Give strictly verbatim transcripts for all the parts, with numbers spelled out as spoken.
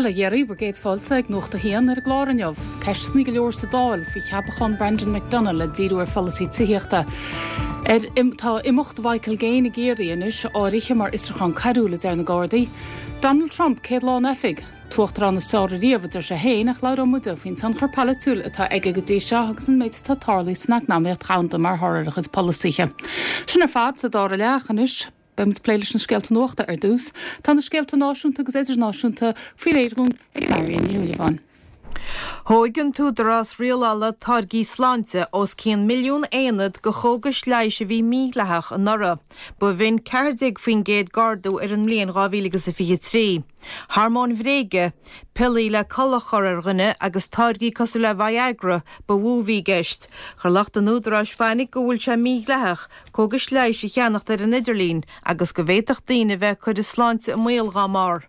Bail ó Dhia oraibh, bhur gcéad fáilte ag Nuacht a hAon ar an gclár inniu. Ceisteanna go leor sa Dáil faoi cheapachán Brendan McDonagh le díriú ar pholasaí tithíochta. Ar im, tá imeacht Mhichael Gaine i gCiarraí anois áirithe mar fhiosrúchán coiriúil a deir na Gardaí. Donald Trump céad lá in oifig. T-uachtarán is fearr riamh a deir sé féin ach labhróidh muide faoin tionchar polaitiúil atá aige go dtí seo agus an méid atá tarlaithe san eacnamaíocht dhomhanda mar thoradh ar a chuid polasaithe. Sin ar fad sa dara leath anois. Beimid ag plé leis na scéalta nuachta ar dtús, tá na scéalta náisiúnta agus idirnáisiúnta faoi réir dúinn ag Marion Ní Shúilleabháin. Thóg an tÚdarás Rialála Táirgí Sláinte os cionn milliún aonad de chógais leighis a bhí mídhleathach anuraidh. Ba bh'in ceathair déag faoin gcéad d'ardú ar an mbliain dhá mhíle agus a fiche trí. Hormóin bhréige, piollaí le codladh a chur ar dhuine agus táirgí cosúil le Viagra ba mhó a bhí i gceist. Chuir lucht an údaráis fainic go bhfuil sé mídhleathach cógais leighis a cheannacht ar an idirlíon agus go bhféadfadh daoine a bheith ag cur a sláinte i mbaol dá mbarr.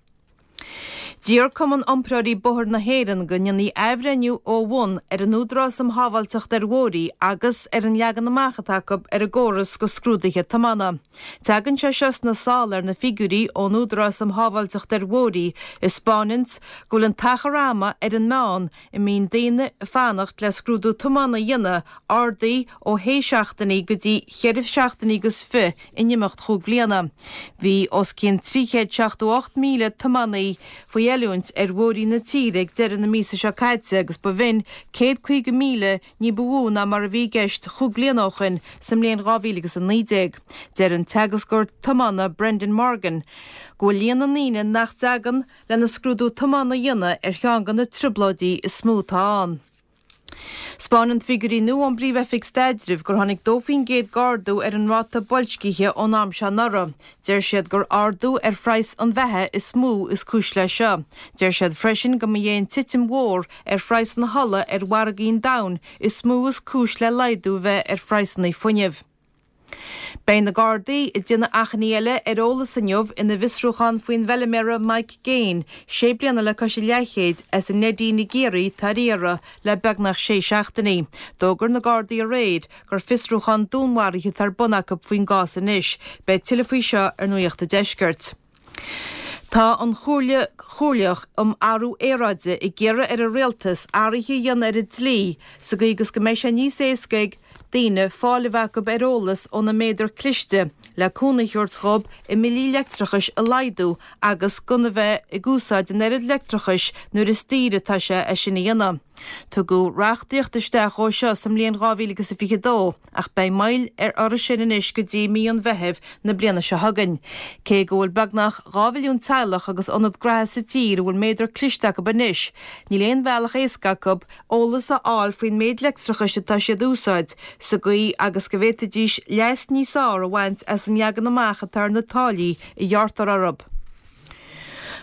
D'iarr Cumann Iompróirí Bóthair na hÉireann go ndéanfaí athbhreithniú ó bhun ar an Údarás um Shábháilteacht ar Bhóithre agus ar an leagan amach atá acu ar an gcóras do scrúduithe tiomána. Tagann sé seo sna sála ar na figiúirí ón Údarás um Shábháilteacht ar Bhóithre a 'spáineanns go bhfuil an t-achar ama ar an meán a mbíonn daoine ag fanacht le scrúdú tiomána a dhéanamh ardaithe ó shé seachtainí go dtí cheithre seachtainí agus fiche in imeacht chúig bhliana. Bhí os cionn trí chéad seachtó ocht míle tiománaí faoi oiliúint ar bhóithrí na tíre ag deireadh na míosa seo caite agus ba bh'in céad caoga míle ní ba mhó ná mar a bhí i gceist chúig bliana ó shin sa mbliain dhá mhíle agus a naoi déag. Deir an teagascóir tiomána Brendan Morgan go bhfuil líon na ndaoine nach dtagann lena scrúdú tiomána a dhéanamh ar cheann de na trioblóidí is mó atá ann. 'Spáineann figiúirí nua ón bPríomh-Oifig Staidrimh gur tháinig dó faoin gcéad d'ardú ar an ráta boilscithe ón am seo anuraidh. Deir siad gur ardú ar phraghas an bheatha is mó is cúis leis seo. Deir siad freisin go mba é an titim mhór ar phraghas na hola ar mhargaí an domhain is mó is cúis le laghdú a bheith ar phraghsanna fuinnimh. Beidh na Gardaí ag déanamh achainí eile ar eolas inniu ina bhfiosrúchán faoin bhfeilméara Mike Gaine, sé bliana le cois a leathchéid, as an Neidín i gCiarraí atá ar iarraidh le beagnach sé seachtainí. D'fhógair na Gardaí aréir gur fiosrúchán dúnmharaithe atá ar bun acu faoin gcás anois. Beidh tuilleadh faoi seo ar Nuacht an Deiscirt. Tá an Chomhairle Chomhairleach um Athrú Aeráide ag iarraidh ar an Rialtas athruithe a dhéanamh ar an dlí sa gcaoi agus go mbeidh sé níos éasca ag daoine fáil a bheith acu ar eolas óna méadar cliste le cúnamh a thabhairt dhóibh a mbillí leictreachais a laghdú agus gan a bheith ag úsáid an oiread leictreachais nuair is daoire atá sé é sin a dhéanamh. Tugadh reachtaíocht isteach dhó seo sa mbliain dhá mhíle agus a fiche dó ach beidh moill ar orthu sin anois go dtí mí an Mheithimh na bliana seo chugainn. Cé go bhfuil beagnach dhá mhilliún teaghlach agus ionad graithe sa tír a bhfuil méadar cliste acu anois, níl aon bhealach éasca acu eolas a fháil faoin méid leictreachais atá siad a úsáid, sa gcaoi agus go bhféadfaidís leas níos fearr a bhaint as an leagan amach atá ar na táillí a ghearrtar orthu.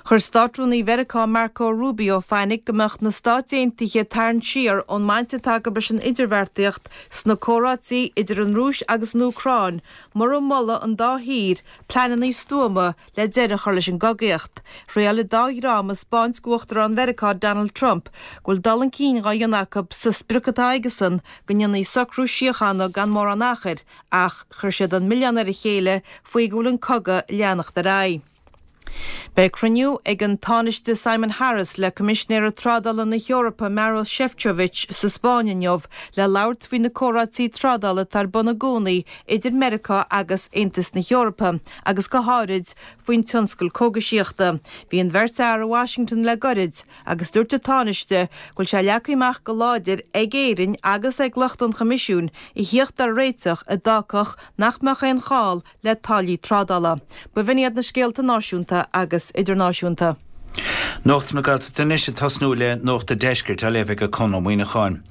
Chuir Státrúnaí Mheiriceá Marco Rubio fainic go mbeadh na Stáit Aontaithe ag tarraingt siar ón mbaint atá acu leis an idirbheartaíocht sna comhráití idir an Rúis agus an Úcráin mura moladh an dá thír pleananna stuama le deireadh a chur leis an gcogaíocht. Thriail an dá dhream a 'spáint d'Uachtarán Mheiriceá Donald Trump go bhfuil dul chun cinn dhá dhéanamh acu sa sprioc atá aigesan go ndéanfaí socrú síochána gan mórán achair ach chuir siad an milleán ar a chéile faoi go bhfuil an cogadh ag leanacht ar aghaidh. Beidh cruinniú ag an Tánaiste Simon Harris le Coimisinéir Trádála na hEorpa Maros Sefcovic sa Spáinn inniu le labhairt faoi na comhráití trádála atá ar bun i gcónaí idir Meiriceá agus Aontas na hEorpa agus go háirid faoin tionscal cógaisíochta. Bhí an bheirt fhear i Washington le goirid agus dúirt an Tánaiste go bhfuil sé leagtha amach go láidir ag Éirinn agus ag lucht an Choimisiúin a thíocht ar réiteach a d'fhágfadh nach mbeadh aon chall le táillí trádála. Ba bh'in iad na scéalta náisiúnta agus idirnáisiúnta. Nuacht na Gaeltachta anois ag tosnú le Nuacht an Deiscirt á léamh ag Conn Ó Muíneacháin.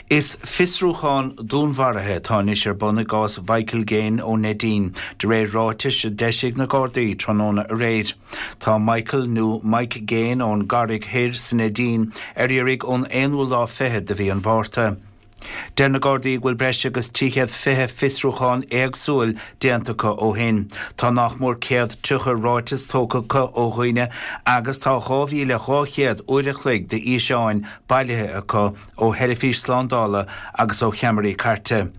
Is fiosrúchán dúnmharaithe atá anois ar bun i gcás Mhichael Gaine ón Neidín, de réir ráitis a d'eisigh na Gardaí tráthnóna aréir. Tá Michael nó Mike Gaine ón gCarraig Thoir sa Neidín ar iarraidh ón aonú lá fichead de mhí an Mhárta. Deir na Gardaí go bhfuil breis agus trí chéad fiche fiosrúchán éagsúil déanta acu ó shin. Tá nach mór céad tríocha ráiteas tógtha acu ó dhaoine agus tá dhá mhíle dhá chéad uair a chloig d'fhíseáin bailithe acu ó theilifís slándála agus ó cheamaraí cairte.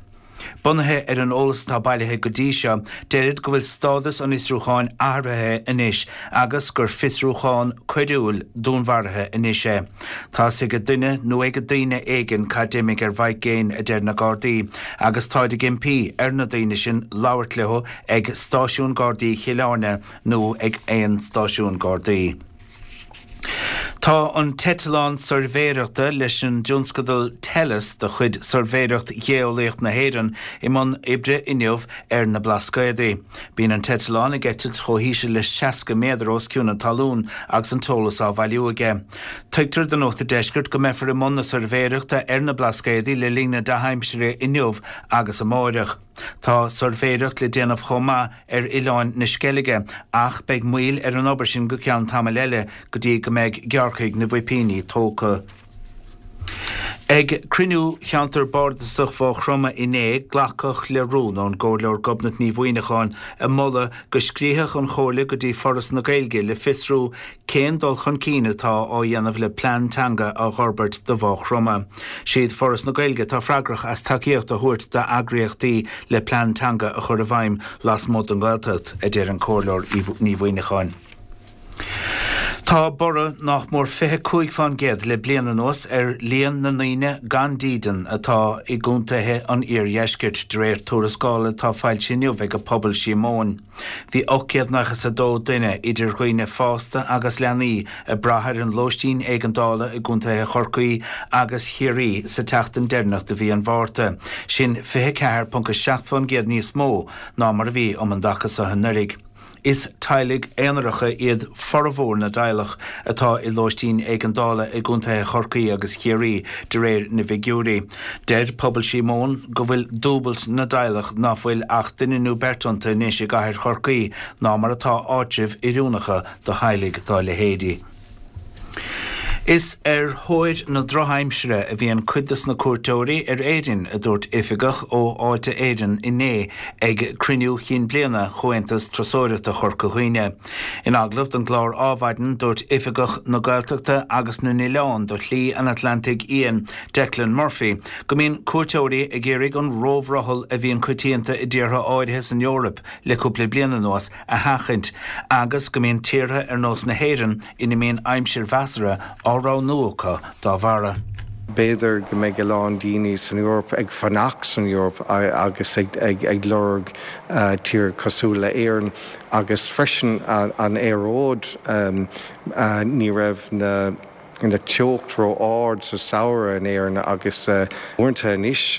Bunaithe ar an eolas atá bailithe go dtí seo, deirid go bhfuil stádas an fhiosrúcháin athraithe anois agus gur fiosrúchán coiriúil dúnmharaithe anois é. Tá's ag duine nó ag daoine éigin cad d'imigh ar Mhike Gaine, a deir na Gardaí, agus táid ag impí ar na daoine sin labhairt leo ag Stáisiún Gardaí Chill Airne nó ag aon stáisiún Gardaí. Tá an t-eitleán suirbhéireachta leis an dtionscadal Tellus de chuid Suirbhéireacht Gheolaíoch na hÉireann i mbun oibre inniu ar na Blascaodaí. Bíonn an t-eitleán ag eitilt chomh híseal le seasca méadar os cionn na talún agus an t-eolas á bhailiú aige. Tuigtear do Nuacht an Deiscirt go mbeifear i mbun na suirbhéireachta ar na Blascaodaí le linn na dea-aimsire inniu agus amáireach. Tá suirbhéireacht le déanamh chomh maith ar Oileáin na Sceilge ach beidh moill ar an obair sin go ceann tamaill eile go dtí go mbeidh gearrcaigh na bhpoipíní tógtha. Ag cruinniú Cheantar Bardasach Mhaigh Chromtha inné, glacadh le rún ón gComhairleoir Gobnait Ní Mhuineacháin ag moladh go scríobhadh an Chomhairle go dtí Foras na Gaeilge le fiosrú cén dul chun cinn atá á dhéanamh le plean teanga a fhorbairt do Mhaigh Chromtha. Siad Foras na Gaeilge atá freagrach as tacaíocht a thabhairt d'eagraíochtaí le plean teanga a chur i bhfeidhm lasmuigh den Ghaeltacht, a deir an Comhairleoir Ní Mhuineacháin. Tá borradh nach mór fiche cúig fán gcéad le bliain anuas ar líon na ndaoine gan dídean atá i gcontaetha an iardheiscirt, de réir tuarascála atá foilsithe inniu ag Pobal Síomóin. Bhí ocht gcéad nócha is a dó duine, idir dhaoine fásta agus leanaí, ag brath ar an lóistín éigeandála i gcontaetha Chorcaí agus Chiarraí sa tseachtain deireanach de mhí an Mhárta, sin fiche ceathair ponc a seacht fán gcéad níos mó ná mar a bhí um an dtaca seo anuraidh. Is teaghlaigh aonaracha iad formhór na dteaghlach atá i lóistín éigeandála i gcontaetha Chorcaí agus Chiarraí, de réir na bhfigiúirí. Deir Pobal Síomóin go bhfuil dúbailt na dteaghlach ná fuil ach duine nó beirt iontu anois i gcathair Chorcaí ná mar atá áitribh oiriúnacha do theaghlaigh dá leithéidí. Is ar thóir na drochaimsire a bhíonn cuid de na cuairteoirí ar Éirinn, a dúirt oifigeach ó Fháilte Éireann inné ag cruinniú chinn bliana Chomhaontas Turasóireachta Chorca Dhuibhne. In agallamh don gclár Adhmhaidin, dúirt oifigeach na Gaeltachta agus na nOileán do Shlí an Atlantaigh Fhiáin, Declan Murphy, go mbíonn cuairteoirí ag iarraidh an róbhrothall a bhíonn coitianta i dtíortha áirithe san Eoraip le cúpla bliain anuas a sheachaint agus go mbíonn tíortha ar nós na hÉireann ina mbíonn aimsir mheasartha á roghnú acu dá bharra. B'fhéidir go mbeidh a lán daoine san Eoraip ag fanacht san Eoraip agus ag lorg tír cosúil le Éirinn agus freisin an aeráid, ní raibh na na teocht ró-ard sa samhradh in Éirinn agus uaireanta anois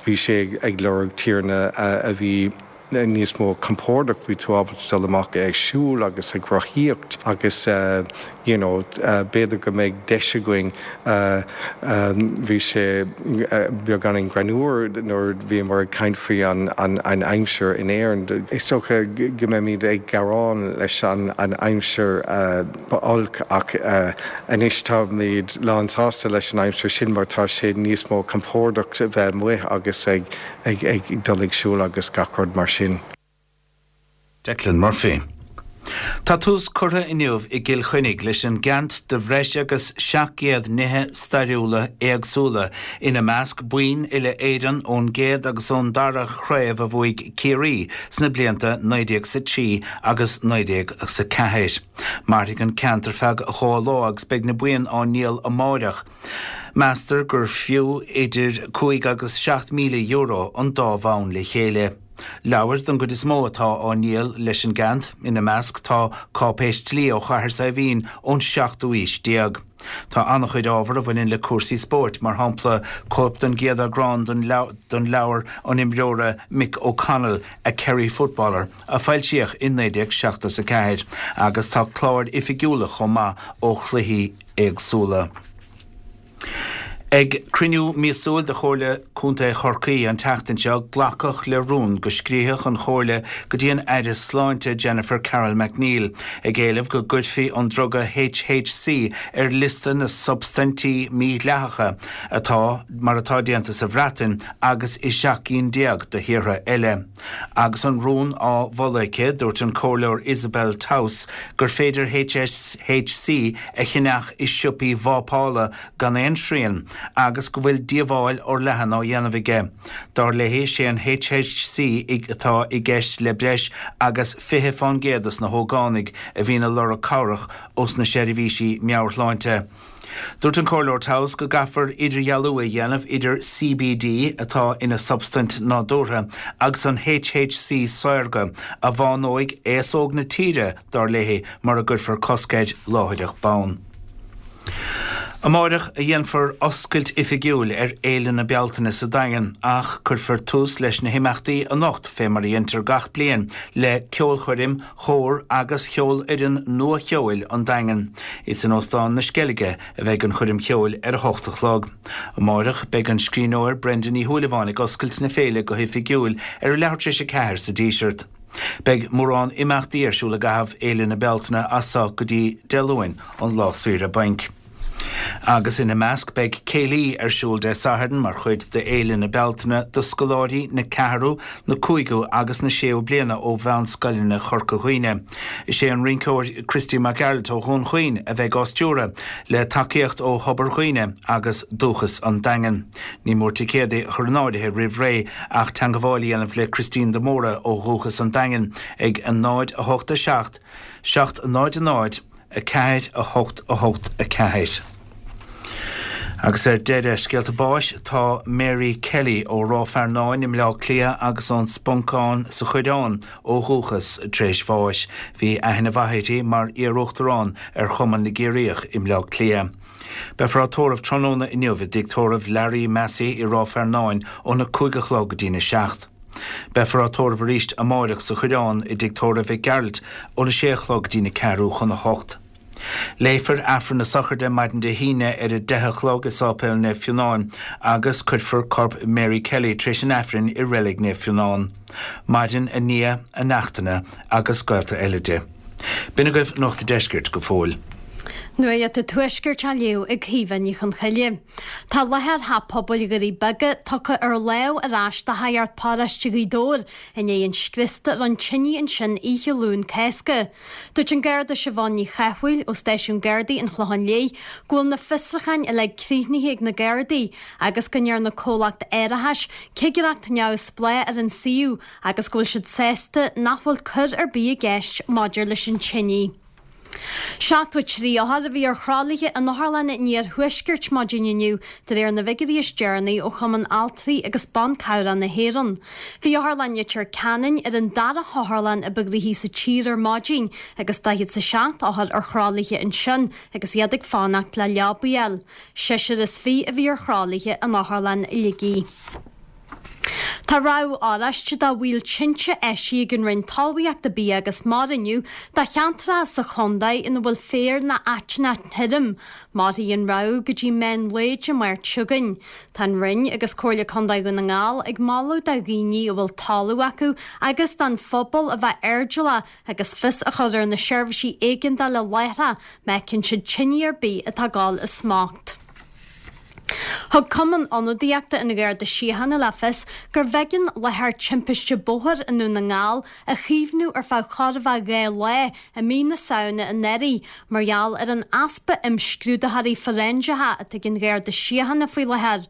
bhí sé ag lorg tíortha a bhí níos mó compordach, bhí tú ábalta dul amach ag siúl agus ag rothaíocht agus you know b'fhéidir go mbeidh deis againn. Bhí sé beagáinín greannmhar nuair a bhíomar ag caint faoi an an aimsir in Éirinn. Is dócha go mbeimid ag gearán leis an an aimsir olc ach anois táimid lán sásta leis an aimsir sin mar tá sé níos mó compordach bheith amuigh agus ag ag dul ag siúl agus gach rud mar sin. Declan Murphy. Tá tús curtha inniu i gCill Chainnigh leis an gceant de bhreis agus seacht gcéad nithe stairiúla éagsúla, ina measc boinn uile-Éireann ón gcéad agus ón dara chraobh a bhuaigh Ciarraí sna blianta naoi déag is a trí agus naoi déag is a ceathair. Mairfidh an ceant ar feadh dhá lá agus beidh na boinn á ndíol amáireach. Meastar gur fiú idir cúig agus seacht míle euro an dá bhonn le chéile. Leabhair den gcuid is mó atá á ndíol leis an gceant, ina measc tá cáipéis dlí ó Chathair Saidhbhín ón seachtú aois déag. Tá an-chuid ábhar a bhaineann le cúrsaí spóirt, mar shampla cóip den gcéad eagrán den leabhar an imreora Mick O'Connell, A Kerry Footballer, a foilsíodh in naoi déag seachtó is a ceathair, agus tá cláir oifigiúla chomh maith ó chluichí éagsúla. Ag cruinniú míosúil de Chomhairle Contae Chorcaí an tseachtain seo, glacadh le rún go scríobhadh an Chomhairle go dtí an Aire Sláinte Jennifer Carroll MacNeill ag éileamh go gcuirfí an druga H H C ar liosta na substaintí mídhleathacha atá mar atá déanta sa Bhreatain agus i seacht gcinn déag de thíortha eile. Agus an rún á mholadh aici, dúirt an Comhairleoir Isabel Towse gur féidir H H C a cheannach i siopaí vápála gan aon srian. agus go bhfuil díobháil fhorleathan á dhéanamh aige. Dar léi is é an HHC atá i gceist le breis agus fiche faoin gcéad des na hógánaigh a bhíonn ag lorg cabhrach ós na seirbhísí meabhairshláinte. Dúirt an Comhairleoir Towse go gcaithfear idirdhealú a dhéanamh idir CBD atá ina substaint nádúrtha agus an HHC saorga a bhánóidh aos óg na tíre dar léi mura gcuirfear cosc air láithreach bonn. Amárach a dhéanfar oscailt oifigiúil ar Fhéile na Bealtaine sa Daingean ach cuirfear tús leis na himeachtaí anocht fé mar a dhéantar gach bliain le ceolchoirm chór agus cheolfhoireann nua-cheoil an Daingin. Is in Óstán na Sceilge a bheidh an choirm cheoil ar a hocht a chlog. Amárach beidh an scríbhneoir Brenda Ní Shúilleabháin ag oscailt na féile go hoifigiúil ar a leathuair tar éis a ceathair sa Díseart. Beidh mórán imeachtaí ar siúl i gcaitheamh Fhéile na Bealtaine as seo go dtí Dé Luain an lá saoire bainc. Agus ina measc beidh céilí ar siúl Dé Sathairn mar chuid de Fhéile na Bealtaine do scoláirí na ceathrú, na cúigiú agus na séú bliana ó mheánscoileanna Chorca Dhuibhne. Is é an rinceoir Christy Mac Gearailt ó Dhún Chaoin a bheidh á stiúradh le tacaíocht ó Thobar Dhuibhne agus Dúchas an Daingin. Ní mór ticéadaí a chur in áirithe roimh ré ach teagmháil a dhéanamh le Christine de Mórdha ó Dhúchas an Daingin ag a náid a hocht a seacht, seacht náid a náid, a ceathair a hocht a hocht a ceathair. Agus ar deireadh scéalta báis tá Mary Kelly ó Ráth Fearnáin i mBleá Cliath agus ón Sponcán sa Choireán ó dhúchas tar éis bháis. Bhí aithne mhaith uirthi mar iar-uachtarán ar Chumann na gCiarraíoch i mBleá Cliath. Beifear á tórramh tráthnóna inniu i dtigh tórraimh Larry Massey i Ráth Fearnáin óna cúig a chlog go dtína seacht. Beifear á tórramh arís amárach sa Choireán i dtigh tórraimh Mhic Gearailt óna sé a chlog go dtína ceathrú chun a hocht. Léifear Aifreann na Sochraide maidin Dé hAoine ar a deich a chlog i Sáipéal Naomh Fionán agus cuirfear corp Mary Kelly tar éis an Aifrinn i reilig Naomh Fionán. Maireann a nia, a neachtanna agus gaolta eile di. B'in agaibh Nuacht an Deiscirt go fóill. Nuacht an Tuaiscirt á léamh ag Caoimhe Ní Chonchoille. Tá láthair Theach Pobail Dhoirí Beaga tugtha ar láimh ar ais do Shagart Paróiste Ghaoth Dobhair i ndiaidh an scriosta a rinne tine ansin oíche Luan Cásca. Dúirt an Garda Siobhán Ní Chathmhaoil ó Stáisiún Gardaí an Chlocháin Léith go bhfuil na fiosrúcháin uilig críochnaithe ag na Gardaí agus go ndearna comhlacht árachais cigireacht neamhspleách ar an suíomh agus go bhfuil siad sásta nach bhfuil coir ar bith i gceist maidir leis an tine. Seachtó trí othar a bhí ar thralaithe in otharlanna an iarthuaiscirt maidin inniu de réir na bhfigiúirí is deireanaí ó Chumann Altraí agus Ban Cabhrach na hÉireann. Bhí Otharlann Leitir Ceanainn ar an dara hotharlann a ba ghnoithí sa tír ar maidin agus daichead is a seacht othar ar thralaithe ansin agus iad ag fanacht le leabaí a fháil. Seisear is fiche a bhí ar thralaithe in Otharlann Shligigh. Tá rabhadh oráiste do bhaol tinte eisithe ag an Roinn Talmhaíochta, Bia agus Mara inniu do cheantracha sa chontae ina bhfuil féar nó aiteannach thirim. Mairfidh an rabhadh go dtí meán lae Dé Máirt seo chugainn. Tá an Roinn agus Comhairle Contae Dhún na nGall ag moladh do dhaoine a bhfuil talamh acu agus don phobal a bheith airdeallach agus fios a chur ar na seirbhísí éigeandála láithreach má fheiceann siad tine ar bith atá ag dul i smacht. Thug Cumann Ionadaíochta an Gharda Síochána le fios gurbh éigean láthair timpiste bóthair i nDún na nGall a chaomhnú ar feadh chóir a bheith dhá lá i mí na Samhna anuraidh mar gheall ar an easpa imscrúdaitheoirí fóiréinseacha atá ag an Gharda Síochána faoi láthair.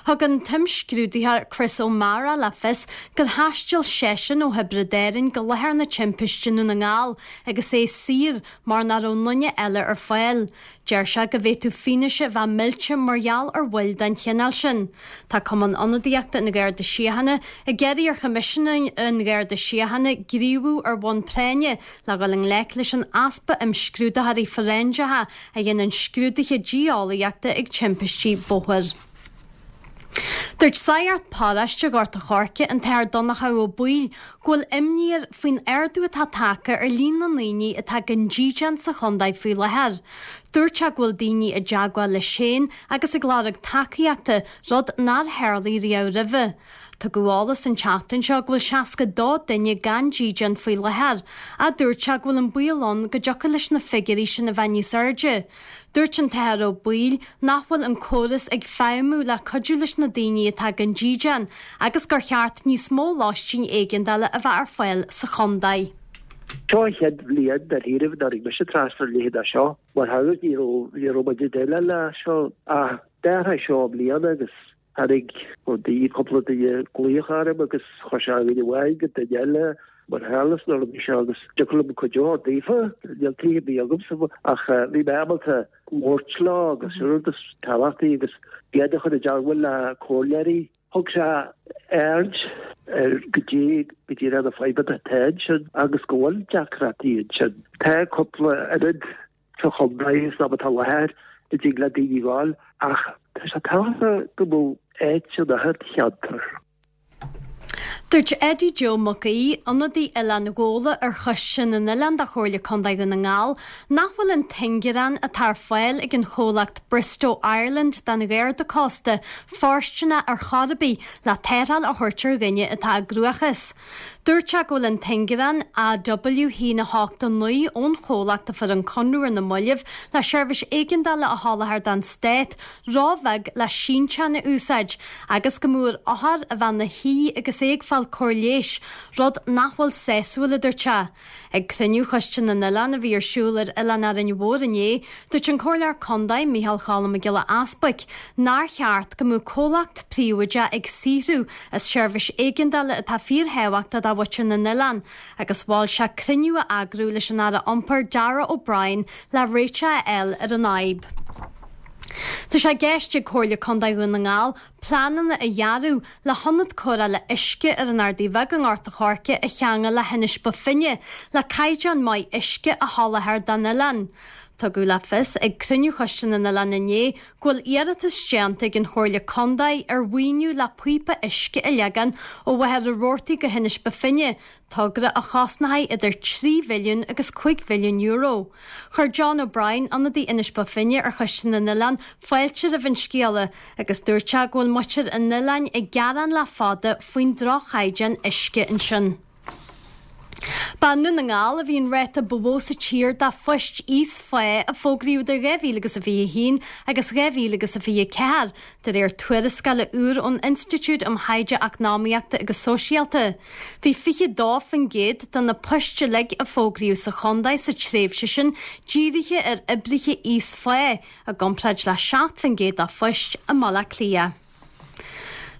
Thug an t-imscrúdaitheoir Chris O'Mara le fios gur thaistil seisean ó Thiobraid Árann go láthair na timpiste i nDún na nGall agus é saor mar nach raibh aon duine eile ar fáil. Deir sé go bhféadfadh fianaise a bheith millte mar gheall ar mhoill den chineál sin. Tá Cumann Ionadaíochta an Gharda Síochána ag iarraidh ar Choimisinéir an Gharda Síochána gníomhú ar bhonn práinne le dhul i ngleic leis an easpa imscrúdaitheoirí fóiréinseacha a dhéanann scrúduithe dí-eolaíochta ag timpistí bóthair. Dúirt Sagart Paróiste Ghort a' Choirce, an tAthair Donnchadh Ó Baoill, go bhfuil imní air faoin ardú atá tagtha ar líon na ndaoine atá gan dídean sa chontae faoi láthair. Dúirt sé go bhfuil daoine i dteagmháil leis féin agus ag lorg tacaíochta, rud nár tharlaigh riamh roimhe. Tugadh eolas an tseachtain seo go bhfuil seasca dó duine gan dídean faoi láthair, ach dúirt sé go bhfuil an baol ann go dtiocfadh leis na figiúirí sin a bheith níos airde. Dúirt an tAthair Ó Baoill nach bhfuil an córas ag feidhmiú le cuidiú leis na daoine atá gan dídean agus gur cheart níos mó lóistín éigeandála a bheith ar fáil sa chontae. Seo an chéad bhliain dáiríribh nár tháinig mise trasna ar a leithéid de seo. Mar shagart ní raibh ní raibh muid ag déileáil le seo ach D'athraigh seo i mbliana agus tháinig daoine, cúpla duine glaoch orm agus chuir sé duine amháin go duine eile mar thealas nuair a bhí sé agus thiocfadh liom cuid a thabhairt daofa, níl tithe ar bith agamsa ach bhí mé ábalta labhairt leo agus sin rud is tábhachtaí agus iad a chur i dteagmháil le comhairleoirí. Thug sé aird ar goidé go díreach na fadhbanna atá ansin agus go bhfuil deacrachtaí ansin. Tá cúpla ionad sa chontae san am atá láthair a dtig le daoine ghabháil ach tá sé tábhachtach go mbeadh áit in achan cheantar. Dúirt Eddie Joe Mac Aoidh, ionadaí Oileán Ghabhla ar Choiste na nOileán de Chomhairle Contae Dhún na nGall, nach bhfuil an t-ingearán atá ar fáil ag an chomhlacht Bristow Ireland don Gharda Cósta fóirsteanach ar chor ar bith le tarrtháil a thabhairt ar dhuine atá i gcruachás. Dúirt sé go bhfuil an t-ingearán A W haon a hocht a naoi ón chomhlacht a fuair an conradh ar na mallaibh le seirbhís éigeandála a sholáthar don stát róbheag le sínteán a úsáid agus go mbeadh ar othar a bheith ina shuí agus é ag fáil cóir leighis, rud nach bhfuil sásúil, a dúirt sé. Ag cruinniú Choiste na nOileán a bhí ar siúl ar Oileán Árainn Mhór inné, dúirt an Comhairleoir Contae, Micheál Cholm Mac Giolla Easbuic, nár cheart go mbeadh comhlacht príobháideach ag saothrú as seirbhís éigeandála atá fíorthábhachtach do mhuintir na n-oileán agus mhol sé cruinniú a eagrú leis an Aire Iompair Darragh O'Brien le réiteach a fháil ar an fhadhb. Tá sé i gceist ag Comhairle Contae Dhún na nGall pleananna a dhearadh le hionad cóireála uisce ar an Ardaidh Bheag i nGort a' Choirce a cheangal le hInis Bó Finne le caighdeán maith uisce a sholáthar don oileán. Tugadh le fios ag cruinniú Choiste na nOileán inné go bhfuil iarratas déanta ag an Chomhairle Contae ar mhaoiniú le píopa uisce a leagan ó Mhachaire Rabhartaigh go hInis Bó Finne, togra a chosnóidh idir trí mhilliún agus cúig mhilliún euro. Chuir John O'Brien, ionadaí Inis Bó Finne ar Choiste na nOileán, fáilte roimh an scéala agus dúirt sé go bhfuil muintir an oileáin ag gearán le fada faoin droch-chaighdeán uisce ansin. Ba i nDún na nGall a bhí an ráta ba mhó sa tír de phoist íosphá a fógraíodh idir dhá mhíle agus a fiche a haon agus dhá mhíle agus a fiche a ceathair, de réir tuarascála úr ón Institiúid um Thaighde Eacnamaíochta agus Sóisialta. Bhí fiche dó faoin gcéad de na poist uilig a fógraíodh sa chontae sa tréimhse sin dírithe ar oibrithe íosphá, i gcomparáid le seacht faoin gcéad de phoist i mBaile Átha Cliath.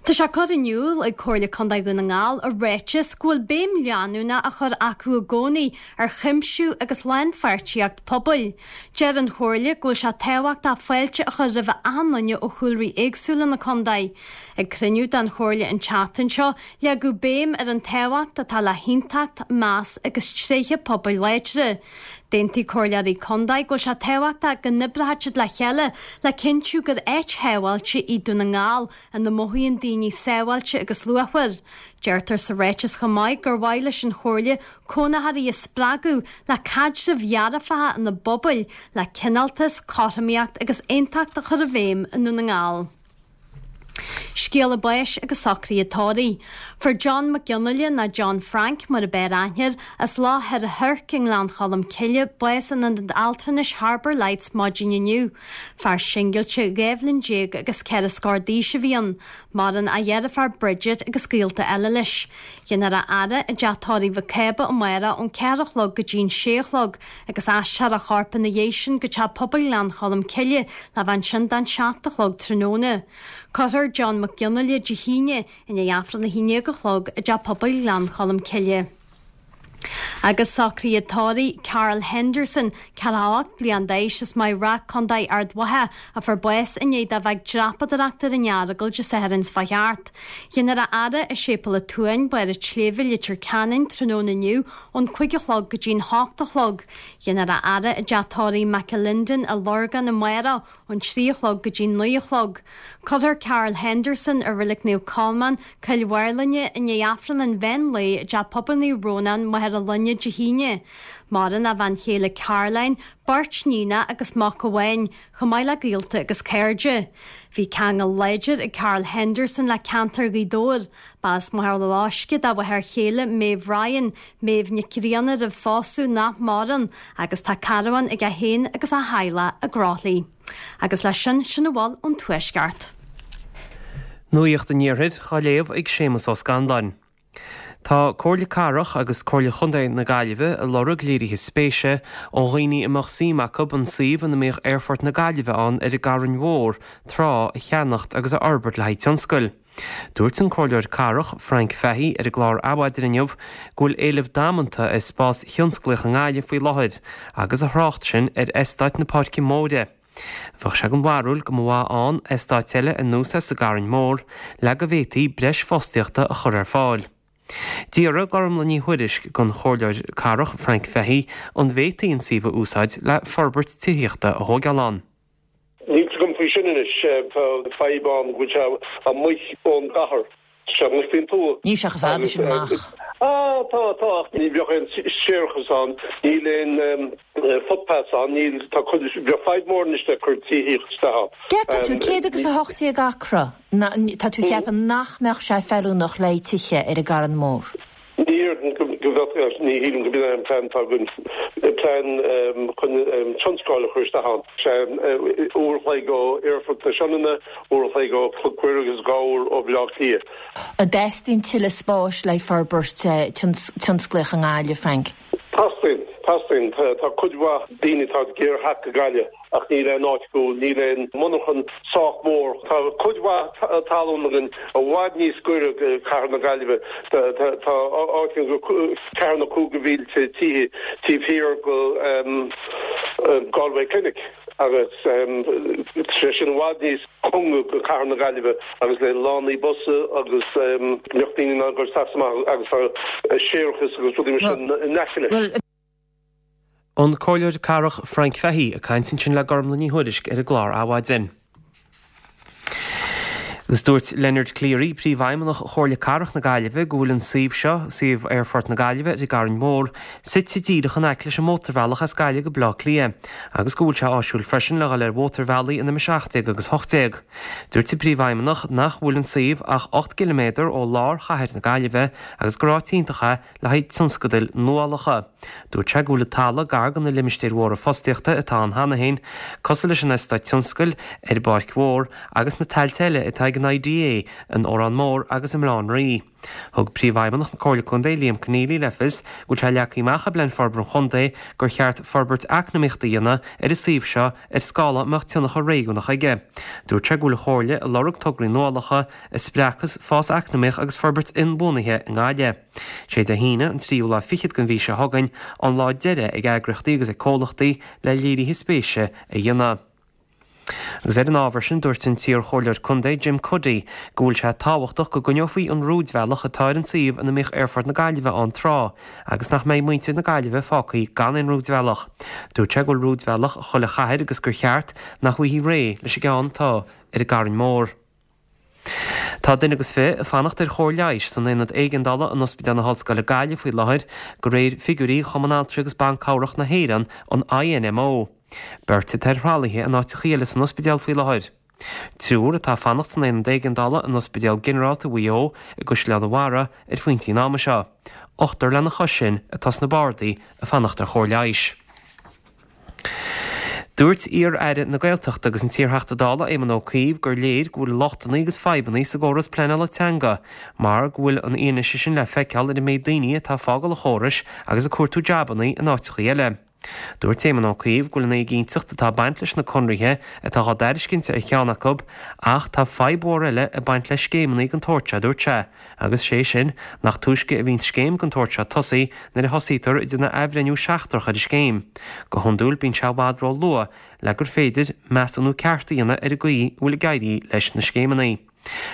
Tá sé curtha in iúl ag Comhairle Contae Dhún na nGall i ráiteas go bhfuil béim leanúnach á chur acu i gcónaí ar chuimsiú agus lánpháirtíocht pobail. Deir an Chomhairle go bhfuil sé tábhachtach fáilte a chur roimh achan duine ó chúlraí éagsúla na contae. Ag cruinniú den Chomhairle an tseachtain seo, leagadh béim ar an tábhacht atá le haontacht, meas agus tréithe pobail láidre. D'aontaigh comhairleoirí contae go bhfuil sé tábhachtach go n-oibreoidh siad le chéile le cinntiú gur áit shábháilte í Dún na nGall ina mothaíonn daoine sábháilte agus luachmhar. Deirtear sa ráiteas chomh maith gur mhaith leis an Chomhairle cónaitheoirí a spreagadh le caidrimh dhearfacha ina bpobail, le cineáltas, cothromaíocht agus aontacht a chur i bhfeidhm i nDún na nGall. Scéala báis agus socruithe tórraimh. Fuair John Mac Fhionnghaile nó John Frank mar ab fhearr aithne air, as Loch Thoir a' Choirc i nGleann Cholm Cille, bás in Ionad Altranais Harbour Lights maidin inniu. Fear singilte dhá bhliain déag agus ceithre scór d'aois a bhí ann. Maireann a dheirfiúr Bridget agus gaolta eile leis. Déanfar a fhaire i dteach tórraimh Mhic Cába amárach ón ceathair a chlog go dtí an sé a chlog agus aistreofar a chorp ina dhiaidh sin go Teach Pobail Ghleann Cholm Cille le bheith ansin don seacht a chlog tráthnóna. Cuirfear John Mac Fhionnghaile Dé hAoine i ndiaidh Aifreann a haon déag a chlog i dTeach Pobail Ghleann Cholm Cille. Agus socruithe tórraimh Carl Henderson, ceathracha a hocht bliain d'aois as Maigh Rath, Contae Ard Mhacha, a fuair bás i ndiaidh dó bheith ag dreapadóireacht ar an Earagail Dé Sathairn seo thart. Déanfar a fhaire i Séipéal an tSuain, Barr an tSléibhe, Leitir Ceanainn, tráthnóna inniu ón cúig a chlog go dtí'n hocht a chlog. Déanfar a fhaire i dTeach Tórraimh McAlinden i Lorgán amárach ón trí a chlog go dtí naoi a chlog. Cuirfear Carl Henderson i Reilig Naomh Colmán, Cill Mháirlinne, i ndiaidh Aifreann an mheán lae i dTeach Pobail Naomh Rónán, Machaire Luinne Dé hAoine. Maireann a bhean chéile Caroline, beirt níonacha agus mac amháin, chomh maith le gaolta agus cairde. Bhí ceangal láidir ag Carl Henderson le ceantar Ghaoth Dobhair. Ba as Machaire Loisce dá mháthair chéile Maeve Ryan, Maeve Nic Grianna roimh phósadh nach maireann, agus tá carbhán aige féin agus a theaghlach i gCroithlí. Agus leis sin, sin a bhfuil ón Tuaisceart. Nuacht an Iarthair á léamh ag Séamus Ó Scanláin. Tá Comhairle Cathrach agus Comhairle Chontae na Gaillimhe ag lorg léirithe spéise ó dhaoine a mbeadh suim acu an suíomh ina mbíodh Aerfort na Gaillimhe ann ar an gCarn Mhór tráth a cheannacht agus a fhorbairt le haghaidh tionscail. Dúirt an Comhairleoir Cathrach Frank Fahey ar an gclár Adhmhaidin inniu go bhfuil éileamh damanta ar spás thionsclaíoch i nGaillimh faoi láthair agus a thrácht sin ar eastát na Páirce Móire. Bheadh sé den bharúil go mba mhaith ann eastát eile ar nós é sa gCarn Mhór le go bhféadfaí breis fostaíochta a chur ar fáil. D'fhiafraigh Gormlaith Ní Thuairisg den Chomhairleoir Cathrach Frank Fahey an bhféadfaí an suíomh a úsáid le forbairt tithíochta a thógáil ann. Níl 's agam faoi sin anois. Tá fadhb ann go bhfuil sé amuigh ón gcathair. Tá sé amuigh faoin tuath. Níl sé chomh fada sin amach. Ah, tá, tá, ach ní bheadh aon séarachas ann, níl aon footpaths ann, níl, tá cuid, bheadh fadhb mór anois le cur tithíocht isteach ann. Ceapann tú, céad agus a hocht déag acra, tá tú ag ceapadh nach mbeadh sé feiliúnach le haghaidh tithe ar an gCarn Mór? Ní déarfainn go bheadh, ní shílim go b'in é an plean atá againn, plean chun tionscal a chur isteach ann. Sé uair a chloig ó Aerfort na Sionainne, uair a chloig ó Chnoc Mhuire agus dhá uair ó Bhaile Átha Cliath. An dteastaíonn tuilleadh spáis le haghaidh forbairt tionsclaíoch i nGaillimh, Frank? Teastaíonn, teastaíonn. Tá cuid mhaith daoine atá ag iarraidh theacht go Gaillimh ach níl aon áit acu, níl aon monarchan sách mór. Tá cuid mhaith talún againn i bhfad níos gaire go cathair na Gaillimhe. Tá áit ann go ceathair nó cúig de mhílte tithe taobh thiar go Galway Clinic agus tá sé sin i bhfad níos cóngaraí go cathair na Gaillimhe agus le lánaí busa agus go mbeadh daoine in ann dul isteach is amach agus tá séarachas agus rudaí mar sin in aice leis. An Comhairleoir Cathrach Frank Fahey ag caint ansin le Gormlaith Ní Thuairisg ar an gclár Adhmhaidin. Agus dúirt Leonard Cleary, Príomhfheidhmeannach Chomhairle Cathrach na Gaillimhe, go bhfuil an suíomh seo, suíomh Aerfort na Gaillimhe ar an gCarn Mhór, suite díreach in aice leis an mótarbhealach as Gaillimh go Baile Átha Cliath agus go bhfuil sé áisiúil freisin le dhul ar mhótarbhealaí an M a seacht déag agus hocht déag. Dúirt an Príomhfheidhmeannach nach bhfuil an suíomh ach ocht gciliméadar ó lár chathair na Gaillimhe agus gur áit iontach é le haghaidh tionscadail nuálacha. Dúirt sé go bhfuil an talamh gar do na limistéir mhóra fostaíochta atá ann cheana féin, cosúil leis an eastát tionscail ar an bPáirc Mhór agus na tailte eile atá ag an I D A in Órán Mór agus i mBaile Átha an Rí. Thug Príomhfheidhmeannach na Comhairle Contae, Liam Conneely, le fios go bhfuil sé leagtha amach i bPlean Forbartha an Chontae gur cheart forbairt eacnamaíochta a dhéanamh ar an suíomh seo ar scála a mbeadh tionchar réigiúnach aige. Dúirt sé go bhfuil an Chomhairle ag lorg tograí nuálacha a spreagfas fás eacnamaíoch agus forbairt inbhuanaithe i nGaillimh. Sé Dé hAoine, an tríú lá fichead den mhí seo chugainn, an lá deiridh ag eagraíochtaí agus ag comhlachtaí le léirithe spéise a dhéanamh. Agus ar an ábhar sin, dúirt an t-iarchomhairleoir contae Jim Cuddy go bhfuil sé tábhachtach go gcoinneofaí an rúidbhealach atá ar an suíomh ina mbíodh Aerfort na Gaillimhe ann tráth agus nach mbeidh muintir na Gaillimhe fágtha gan aon rúidbhealach. Dúirt sé go bhfuil rúidbhealach ag chuile chathair agus gur cheart nach bhfaighfí réidh leis an gceann atá ar an gCarn Mór. Tá duine agus fiche ag fanacht ar chóir leighis san aonad éigeandála in Ospidéal na hOllscoile Gaillimh faoi láthair, de réir figiúirí Chumann Altraí agus Ban Cabhrach na hÉireann, an I N M O. Beirt atá ar thralaithe in áiteacha eile san ospidéal faoi láthair. Triúr atá ag fanacht san aonad éigeandála in Ospidéal Ginearálta Mhaigh Eo i gCaisleán an Bharraigh ar phointí an ama seo. Ochtar lena chois sin atá sna bardaí ag fanacht ar chóir leighis. Dúirt iar-aire na Gaeltachta agus an t-iarTheachta Dála Éamon Ó Cuív gur léir go bhfuil lochtanna agus fadhbanna sa gcóras pleanála teanga, mar go bhfuil an fhianaise sin le feiceáil ar an méid daoine atá ag fágáil an chórais agus ag cuartú jabanna in áiteacha eile. Dúirt Éamon Ó Cuív go bhfuil an éiginnteacht atá ag baint leis na conarthaí atá á dtairiscint ar cheann acu ach tá fadhb mhór eile ag baint le scéimeanna den tsórt seo dúirt sé, agus sé sin nach túisce a bhíonn scéim den tsórt seo tosaithe nuair a thosaítear ag déanamh athbhreithniú seachtrach ar an scéim. Go hiondúil bíonn sé i bhfad ró-luath le gur féidir measúnú ceart a dhéanamh ar an gcaoi a bhfuil ag éirí leis na scéimeanna.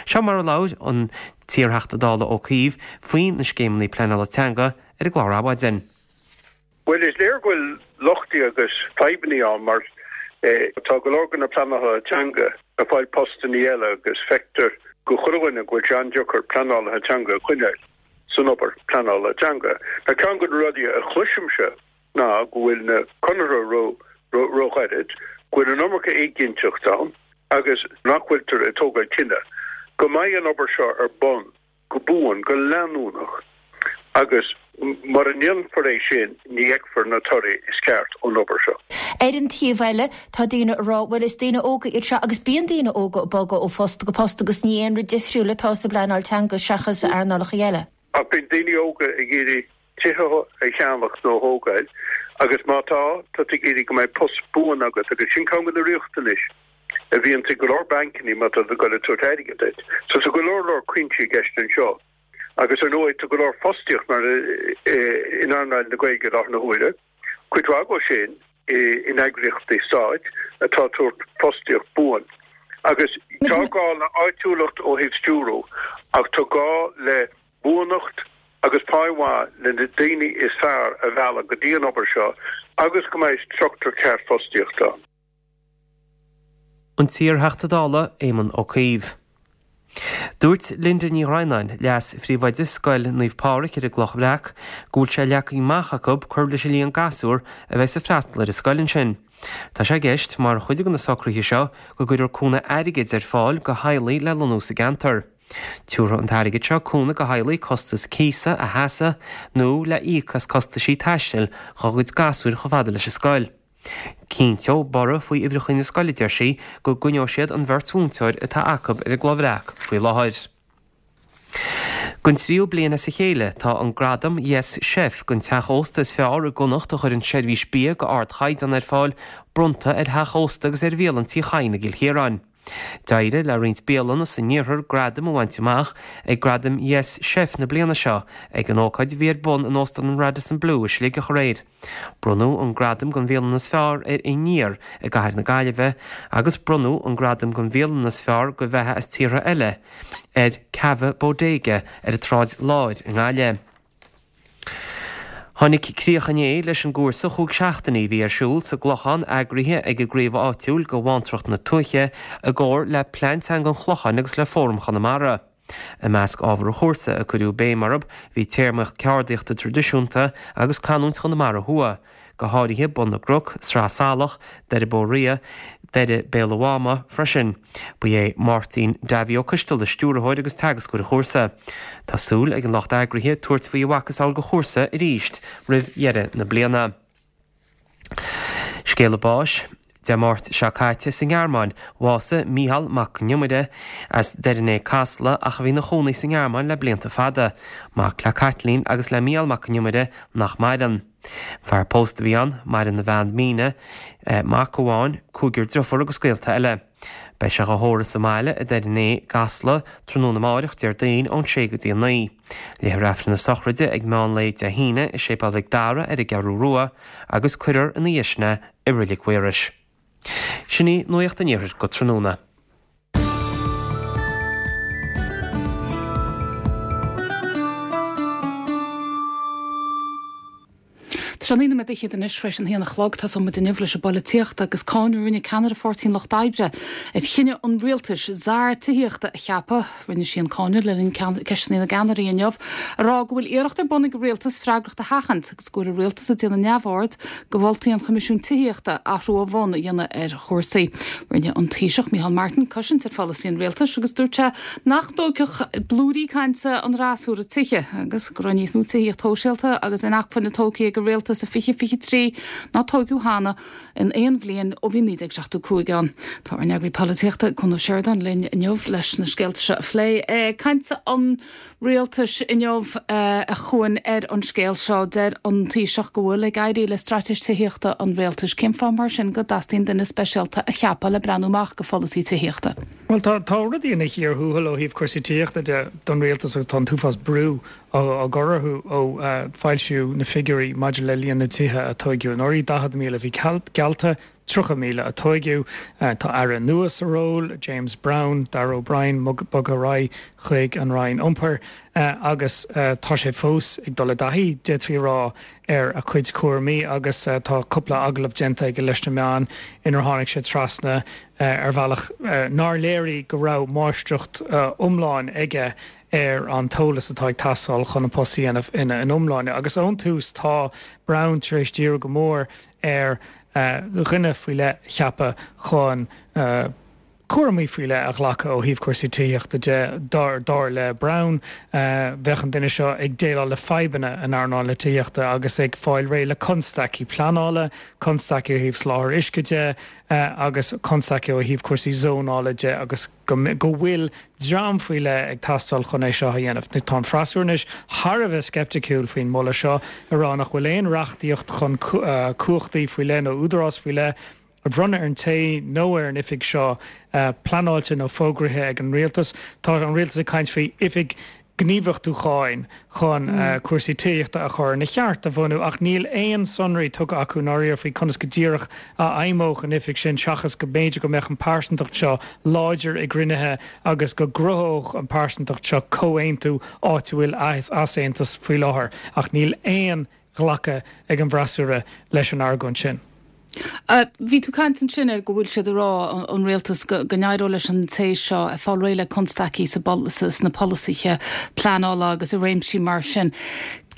Seo mar a labhair an t-iarTheachta Dála Ó Cuív faoi na scéimeanna pleanála teanga ar an gclár Adhmhaidin. Well is léir go bhfuil lochtaí agus fadhbanna ann mar eh, tá go leor de na pleanálaithe teanga ag fáil postanna eile agus feictear do chuile dhuine go bhfuil sé an-deacair pleanálaithe teanga a choinneáil san obair pleanála teanga. Na ceann de na rudaí a chloisimse ná go bhfuil na conarthaí ró róghairid, go bhfuil an iomarca éiginnteacht ann agus nach bhfuiltear ag tógáil cinneadh go mbeidh an obair seo ar bun go buan go leanúnach agus mura ndéanfar é sin ní fheicfear na torthaí is ceart ón obair seo. Ar an taobh eile tá daoine ag rá well is daoine óga iad seo agus bíonn daoine óga ag bogadh ó phost go post agus ní aon rud difriúil atá sa bpleanáil teanga seachas earnálacha eile. Ach bíonn daoine óga ag iarraidh tithe a cheannach nó a thógáil agus má tá, tá tú ag iarraidh go mbeidh post buan agat agus sin ceann de na riachtanais a bhíonn ag go leor bancanna má tá tú ag dul ag tabhairt airgead duit. So tá go leor leor cuinsí i gceist anseo. Agus ar ndóigh tá go leor fostaíocht mar in earnáil na Gaeilge i láthair na huaire, cuid mhaith acu sin in eagraíochtaí stáit atá ag tabhairt fostaíocht buan. Agus tá gá le áitiúlacht ó thaobh stiúrú ach tá gá le buanacht agus pá mhaith le na daoine is fearr a mhealladh go dtí an obair seo agus go mbeidh struchtúr ceart fostaíochta ann. An t-iar-Theachta Dála Éamon Ó Cuív. Dúirt Linda Ní Dhroighneáin, Leas-Phríomhoide Scoil Naomh Pádraig ar an gCloch Bhreac, go bhfuil sé leagtha amach acu cur leis an líon gasúr a bheas ag freastal ar an scoil ansin. Tá sé i gceist, mar chuid de na socruithe seo, go gcuirfear cúnamh airgid ar fáil go theaghlaigh le lonnú sa gceantar. Tiúrfaidh an t-airgead seo cúnamh go theaghlaigh costas cíosa a sheasamh nó le íoc as costaisí taistil dhá gcuid gasúir chomh fada leis an scoil. Cinnteoidh borradh faoi uimhreacha na scoile, deir sí, go gcoinneoidh siad an bheirt mhúinteoir atá acu ar an gCloch Bhreac faoi láthair. Don tríú bliain as a chéile, tá an gradam Yes Chef don teach ósta is fearr i gConnacht a chuireann seirbhís bia go ardchaighdeán ar fáil bronnta ar theach ósta agus ar bhialann Tí Chadhain i gCill Chiaráin. D'éirigh le roinnt bialanna san iarthar gradaim a bhaint amach ag Gradaim Yes Chef na bliana seo ag an ócáid a bhí ar bun in Óstán an Radisson Blu i Sligeach aréir. Bronnadh an gradam don bhialann is fearr ar Aniar i gcathair na Gaillimhe agus bronnadh an gradam don bhialann is fearr do bheatha as tíortha eile ar Cava Bodega ar an tSráid Láir i nGaillimh. Tháinig críoch inné leis an gcúrsa chúig seachtainí a bhí ar siúl sa gClochán eagraithe ag an gcraobh áitiúil de Bhantracht na Tuaithe i gcomhar le Plean Teanga an Chlocháin agus le Fóram Chonamara. I measc ábhar an chúrsa a cuireadh béim orthu bhí téarmaíocht ceardaíochta traidisiúnta agus canúint Chonamara Thuaidh, go háirithe Bun na gCnoc, Sraith Salach, Doire Bó Ria, Doire Béal an Mháma freisin. Ba é Máirtín Davy Ó Coisteala stiúrthóir agus teagascóir an chúrsa. Tá súil ag an lucht eagraithe tabhairt faoi a mhacasamhail de chúrsa arís roimh dheireadh na bliana. Scéala báis. Dé Máirt seo caite sa nGearmáin, bhásaigh Mícheál Mac Con Iomaire as Doire an Fhéich Casla ach a bhí ina chónaí sa nGearmáin le blianta fada. Mac le Caitlín agus le Mícheál Mac Con Iomaire nach maireann. Fear pósta a bhí ann, maireann a bhean Míne, mac amháin, cúigear driofúr agus gaolta eile. Beidh sé á thórramh sa mbaile i Doire an Fhéich gCasla tráthnóna amáireach, Déardaoin, ón sé go dtí a naoi. Léifear Aifreann na sochraide ag meán lae Dé hAoine i Séipéal Mhic Dara ar an gCeathrú Rua agus cuirfear ina dhiaidh sin é i Reilig Mhaorais. Sin í Nuacht an Iarthair go tráthnóna. Tá sé naoi nóiméad fhichead anois tar éis an haon a chlog. Tosóidh muid inniu leis an bpolaitíocht agus cáineadh a rinne ceannaire Pháirtí an Lucht Oibre ar chinneadh an rialtais czar tithíochta a cheapadh. Rinne sí an cáineadh le linn Ceisteanna na gCeannairí inniu, ag rá go bhfuil iarracht ar bun ag an rialtas freagracht a sheachaint agus go bhfuil an rialtas ag déanamh neamhaird de mholtaí an Choimisiúin Tithíochta athrú ó bhun a dhéanamh ar chúrsaí. Rinne an Taoiseach Micheál Martin cosaint ar pholasaí an rialtais agus dúirt sé nach dtógfadh blúirí cainte an fhreasúra tithe agus go raibh níos mó tithíocht shóisialta agus inacmhainne tógtha ag an rialtas i fiche fiche trí ná tóigeadh cheana in aon bhliain ó bhí naoi déag seachtó cúig ann. Tá ár n-eagraí polaitíochta, Cuan Ó Seireadáin linn inniu leis na scéalta seo a phlé. Caint an rialtais inniu a Chuain ar an scéal seo. Deir an Taoiseach go bhfuil ag éirí le straitéis tithíochta an rialtais. Cén fáth mar sin go dteastaíonn duine speisialta a cheapadh le breathnú amach go pholasaí tithíochta? Bhuel, tá tá rudaí ina chíor thuathail ó thaobh cúrsaí tithíochta de don rialtas agus tá an t-uafás brú á gcur orthu ó foilsíodh na figiúirí maidir le líon na dtithe a tóigeadh anuraidh, daichead míle a bhí geallta, tríocha míle a tóigeadh. Tá aire nua sa ról, James Browne, Darragh O'Brien bogtha ar aghaidh chuig an Roinn Iompair agus tá sé fós ag dul i dtaithí, d'fhéadfaí a rá, ar a chuid cúraimí agus tá cúpla agallamh déanta aige leis na meáin inar tháinig sé trasna ar bhealach nár léirigh go raibh máistreacht iomlán aige ar an t-eolas atá ag teastáil chun an post a dhéanamh ina iomláine. Agus ón tús tá Browne tar éis díriú go mór ar dhuine faoi leith a cheapadh chun cúraimí faoi leith a ghlacadh ó thaobh cúrsaí tithíochta de. Dar dar le Browne, bheadh an duine seo ag déileáil le fadhbanna in earnáil na tithíochta agus ag fáil réidh le constaicí pleanála, constaicí ó thaobh soláthar uisce de agus constaicí ó thaobh cúrsaí zónála de agus go go bhfuil dream faoi leith ag teastáil chun é seo a dhéanamh. Tá an freasúra anois thar a bheith sceipticiúil faoin moladh seo, ag rá nach bhfuil aon reachtaíocht chun cumhachtaí faoi leith nó údarás faoi leith a bhronnadh ar an té nó ar an oifig seo pleanáilte nó fógraithe ag an rialtas. Tá an rialtas ag caint faoi oifig gníomhachtúcháin chun cúrsaí tithíochta a chur ina cheart a bhunú ach níl aon sonraí tugtha acu ndáiríre faoi conas go díreach a fheidhmeodh an oifig sin seachas go mb'fhéidir go mbeadh an pearsantacht seo láidir i gcruinnithe agus go gcruthódh an pearsantacht seo comhaontú áit a bhfuil easaontas faoi láthair ach níl aon ghlacadh ag an bhfreasúra leis an argóint sin. Bhí tú ag caint ansin ar go bhfuil siad ag rá, an rialtas, go n-éireodh leis an té seo fáil réidh le constaicí sna polasaithe pleanála agus i réimsí mar sin.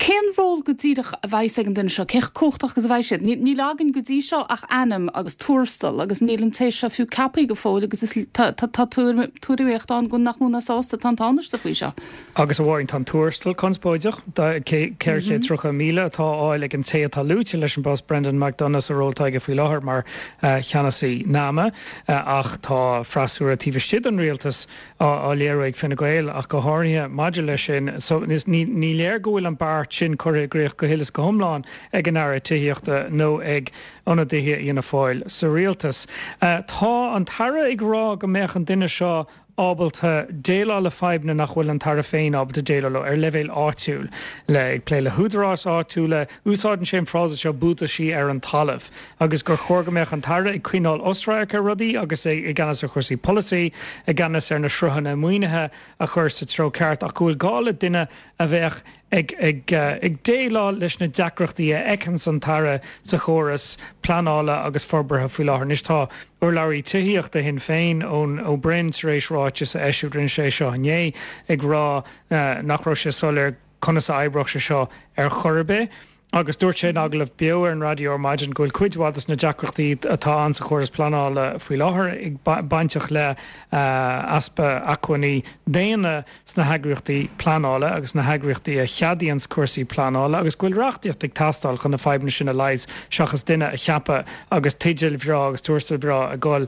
Cén ról go díreach a bheas ag an duine seo? Cé chomh cumhachtach agus a bheidh siad? Níl againn go dtí seo ach ainm agus tuarastal agus níl an té seo fiú ceaptha go fóill agus tá tuairimíocht ann go nach mó ná sásta atá an Tánaiste faoi seo. Agus a Mháirín, tá an tuarastal conspóideach, ceithre chéad tríocha míle atá á fháil ag an té atá luaite leis an bpost, Brendan McDonagh, sa ról atá aige faoi láthair mar cheannasaí NAMA, ach tá freasúra taobh istigh den rialtas á léiriú ag Fine Gael ach go háirithe maidir leis sin. So ní léir go bhfuil an beart sin curtha i gcrích go huile is go hiomlán ag an Aire Tithíochta nó ag ionadaithe Fhianna Fáil sa rialtas. Tá an tAire ag rá go mbeadh an duine seo ábalta déileáil le fadhbanna nach bhfuil an tAire féin ábalta déileáil leo ar leibhéal áitiúil, le ag plé le húdaráis áitiúla. Úsáideann sé an frása seo buataisí ar an talamh agus gur chóir go mbeadh an tAire ag coinneáil osradharc ar rudaí agus é i gceannas ar chúrsaí polasaí, i gceannas ar na sruthanna maoinithe a chur sa treo ceart ach go bhfuil gá le duine a bheadh ag ag ag déileáil leis na deacrachtaí a fheiceanns an tAire sa chóras pleanála agus forbartha faoi láthair. Anois tá urlabhraí tithíochta Shinn Féin, Eoin Ó Broin, tar éis ráiteas a eisiúint, rinne sé seo inné, ag rá nach raibh sé soiléir conas a oibreodh sé seo ar chor ar bith. Agus dúirt sé in agallamh beo ar an raidió ar maidin go bhfuil cuid mhaith de na deacrachtaí atá ann sa chóras pleanála faoi láthair bainteach le easpa acmhainní daonna sna heagraíochtaí pleanála agus sna heagraíochtaí a cheadaíonns cúrsaí pleanála agus go bhfuil reachtaíocht ag teastáil chun na fadhbanna sin a leigheas seachas duine a cheapadh agus teideal bhreá agus tuarastal breá ag dul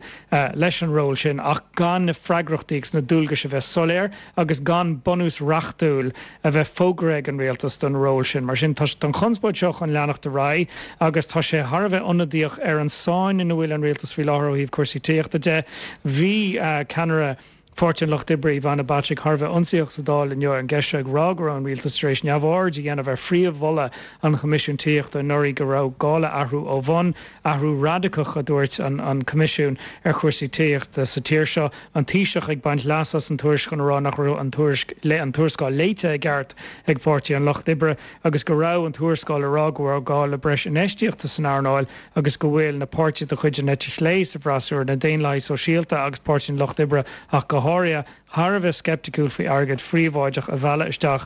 leis an ról sin ach gan na freagrachtaí agus na dualgais a bheith soiléir agus gan bunús reachtúil a bheith fógraithe ag an rialtas don ról sin. Mar sin, tá an chonspóid seo chun leanacht ar aghaidh agus tá sé thar a bheith ionadaíoch ar an sáinn ina bhfuil an rialtas faoi láthair ó thaobh cúrsaí tithíochta de. Bhí ceannaire Pháirtí an Lucht Oibre, Ivana Bacik, thar a bheith ionsaíoch sa Dáil inniu ar an gceist seo ag rá go raibh an rialtas tar éis neamhaird a dhéanamh ar phríomh-mholadh an Choimisiúin Tithíochta anuraidh go raibh gá le athrú ó bhun, athrú radacach a dúirt an Coimisiún ar chúrsaí tithíochta sa tír seo. An Taoiseach ag baint leas as an tuairisc chun a rá nach raibh an tuairisc an tuarascáil léite i gceart ag Páirtí an Lucht Oibre agus go raibh an tuarascáil ag rá go raibh gá le breis infheistíochta san earnáil agus go bhfuil na páirtithe de chuid an eite chlé sa bhfreasúra, na Daonlathaigh Sóisialta agus Páirtí an Lucht Oibre ach go háirithe, thar a bheith sceipticiúil faoi airgead phríobháideach a mhealladh isteach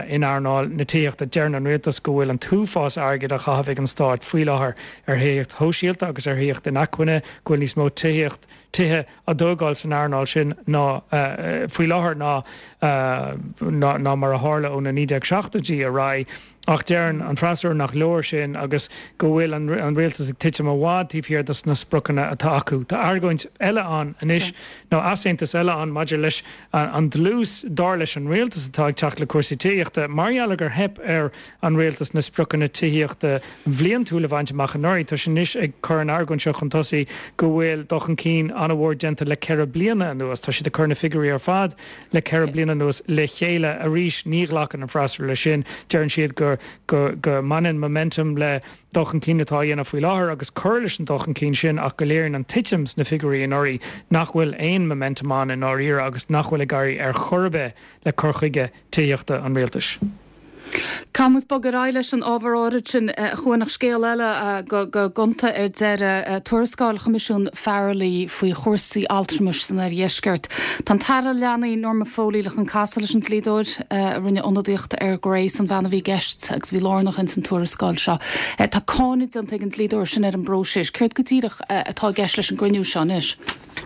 in earnáil na tithíochta. Deireann an rialtas go bhfuil an t-uafás airgid á chaitheamh ag an stát faoi láthair ar thithíocht shóisialta agus ar thithíocht inacmhainne, go bhfuil níos mó tithíocht, tithe á dtógáil san earnáil sin ná faoi láthair ná ná mar a tharla ó na naoi déag seachtóidí ar aghaidh. Ach deireann an freasúra nach leor sin agus go bhfuil an rialtas ag titim i bhfad taobh thiar dos na spriocanna atá acu. Tá argóint eile ann anois, nó easaontas eile ann maidir leis an dlús, dar leis an rialtas, atá ag teacht le cúrsaí tithíochta. Mar gheall ar gur theip ar an rialtas na spriocanna tithíochta bhliantúil a bhaint amach anuraidh, tá siad anois ag cur an argóint seo chun tosaigh go bhfuil dul chun cinn an-mhór déanta le ceithre bliana anuas. Tá siad ag cur na figiúirí ar fad le ceithre bliana anuas le chéile. Arís, ní ghlacann an freasúra leis sin. Deireann siad go go go mbaineann momentum le dul chun cinn atá á dhéanamh faoi láthair agus cur leis an dul chun cinn sin ach go léiríonn an titim sna figiúirí anuraidh nach bhfuil aon momentum ann i ndáiríre agus nach bhfuil ag éirí ar chor ar bith le cur chuige tithíochta an rialtais. Caithfidh muid bogadh ar aghaidh leis an ábhar áirid sin, a Chuain, ach scéal eile go gonta ar deireadh, tuarascáil Choimisiún Farrelly faoi chúrsaí altramais san oirdheisceart. Tá an tAire Leanaí Norma Foley le chun casadh leis an dlíodóir a rinne ionadaíocht ar Grace, an bhean a bhí i gceist agus a bhí lárnach ins an tuarascáil seo. Tá cáineadh déanta ag an dlíodóir sin ar an bpróiseas. Céard go díreach atá i gceist leis an gcruinniú seo anois?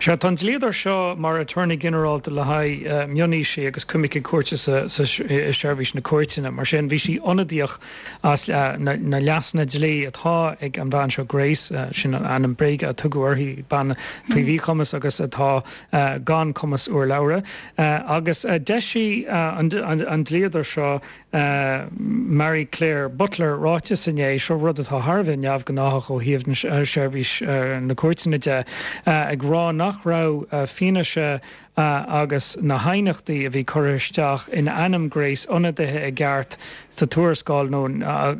Sea, tá an dlíodóir seo mar aturnae ginearálta le haghaidh mionaoisigh agus coimirce cúirte sa i seirbhís na cúirteanna. Mar sin, bhí sí ionadaíoch as na leasanna dlí atá ag an bhean seo Grace, sin an ainm bréige a tugadh uirthi, bean faoi mhíchumas agus atá gan cumas urlabhra. Agus d'eisigh an dlíodóir seo, Marie Claire Butler, ráiteas inné, seo rud atá thar a bheith neamhghnáthach ó thaobh seirbhís na cúirteanna de, ag rá nach raibh fianaise agus na haighneachtaí a bhí curtha isteach in ainm Grace ionadaithe i gceart sa tuarascáil nó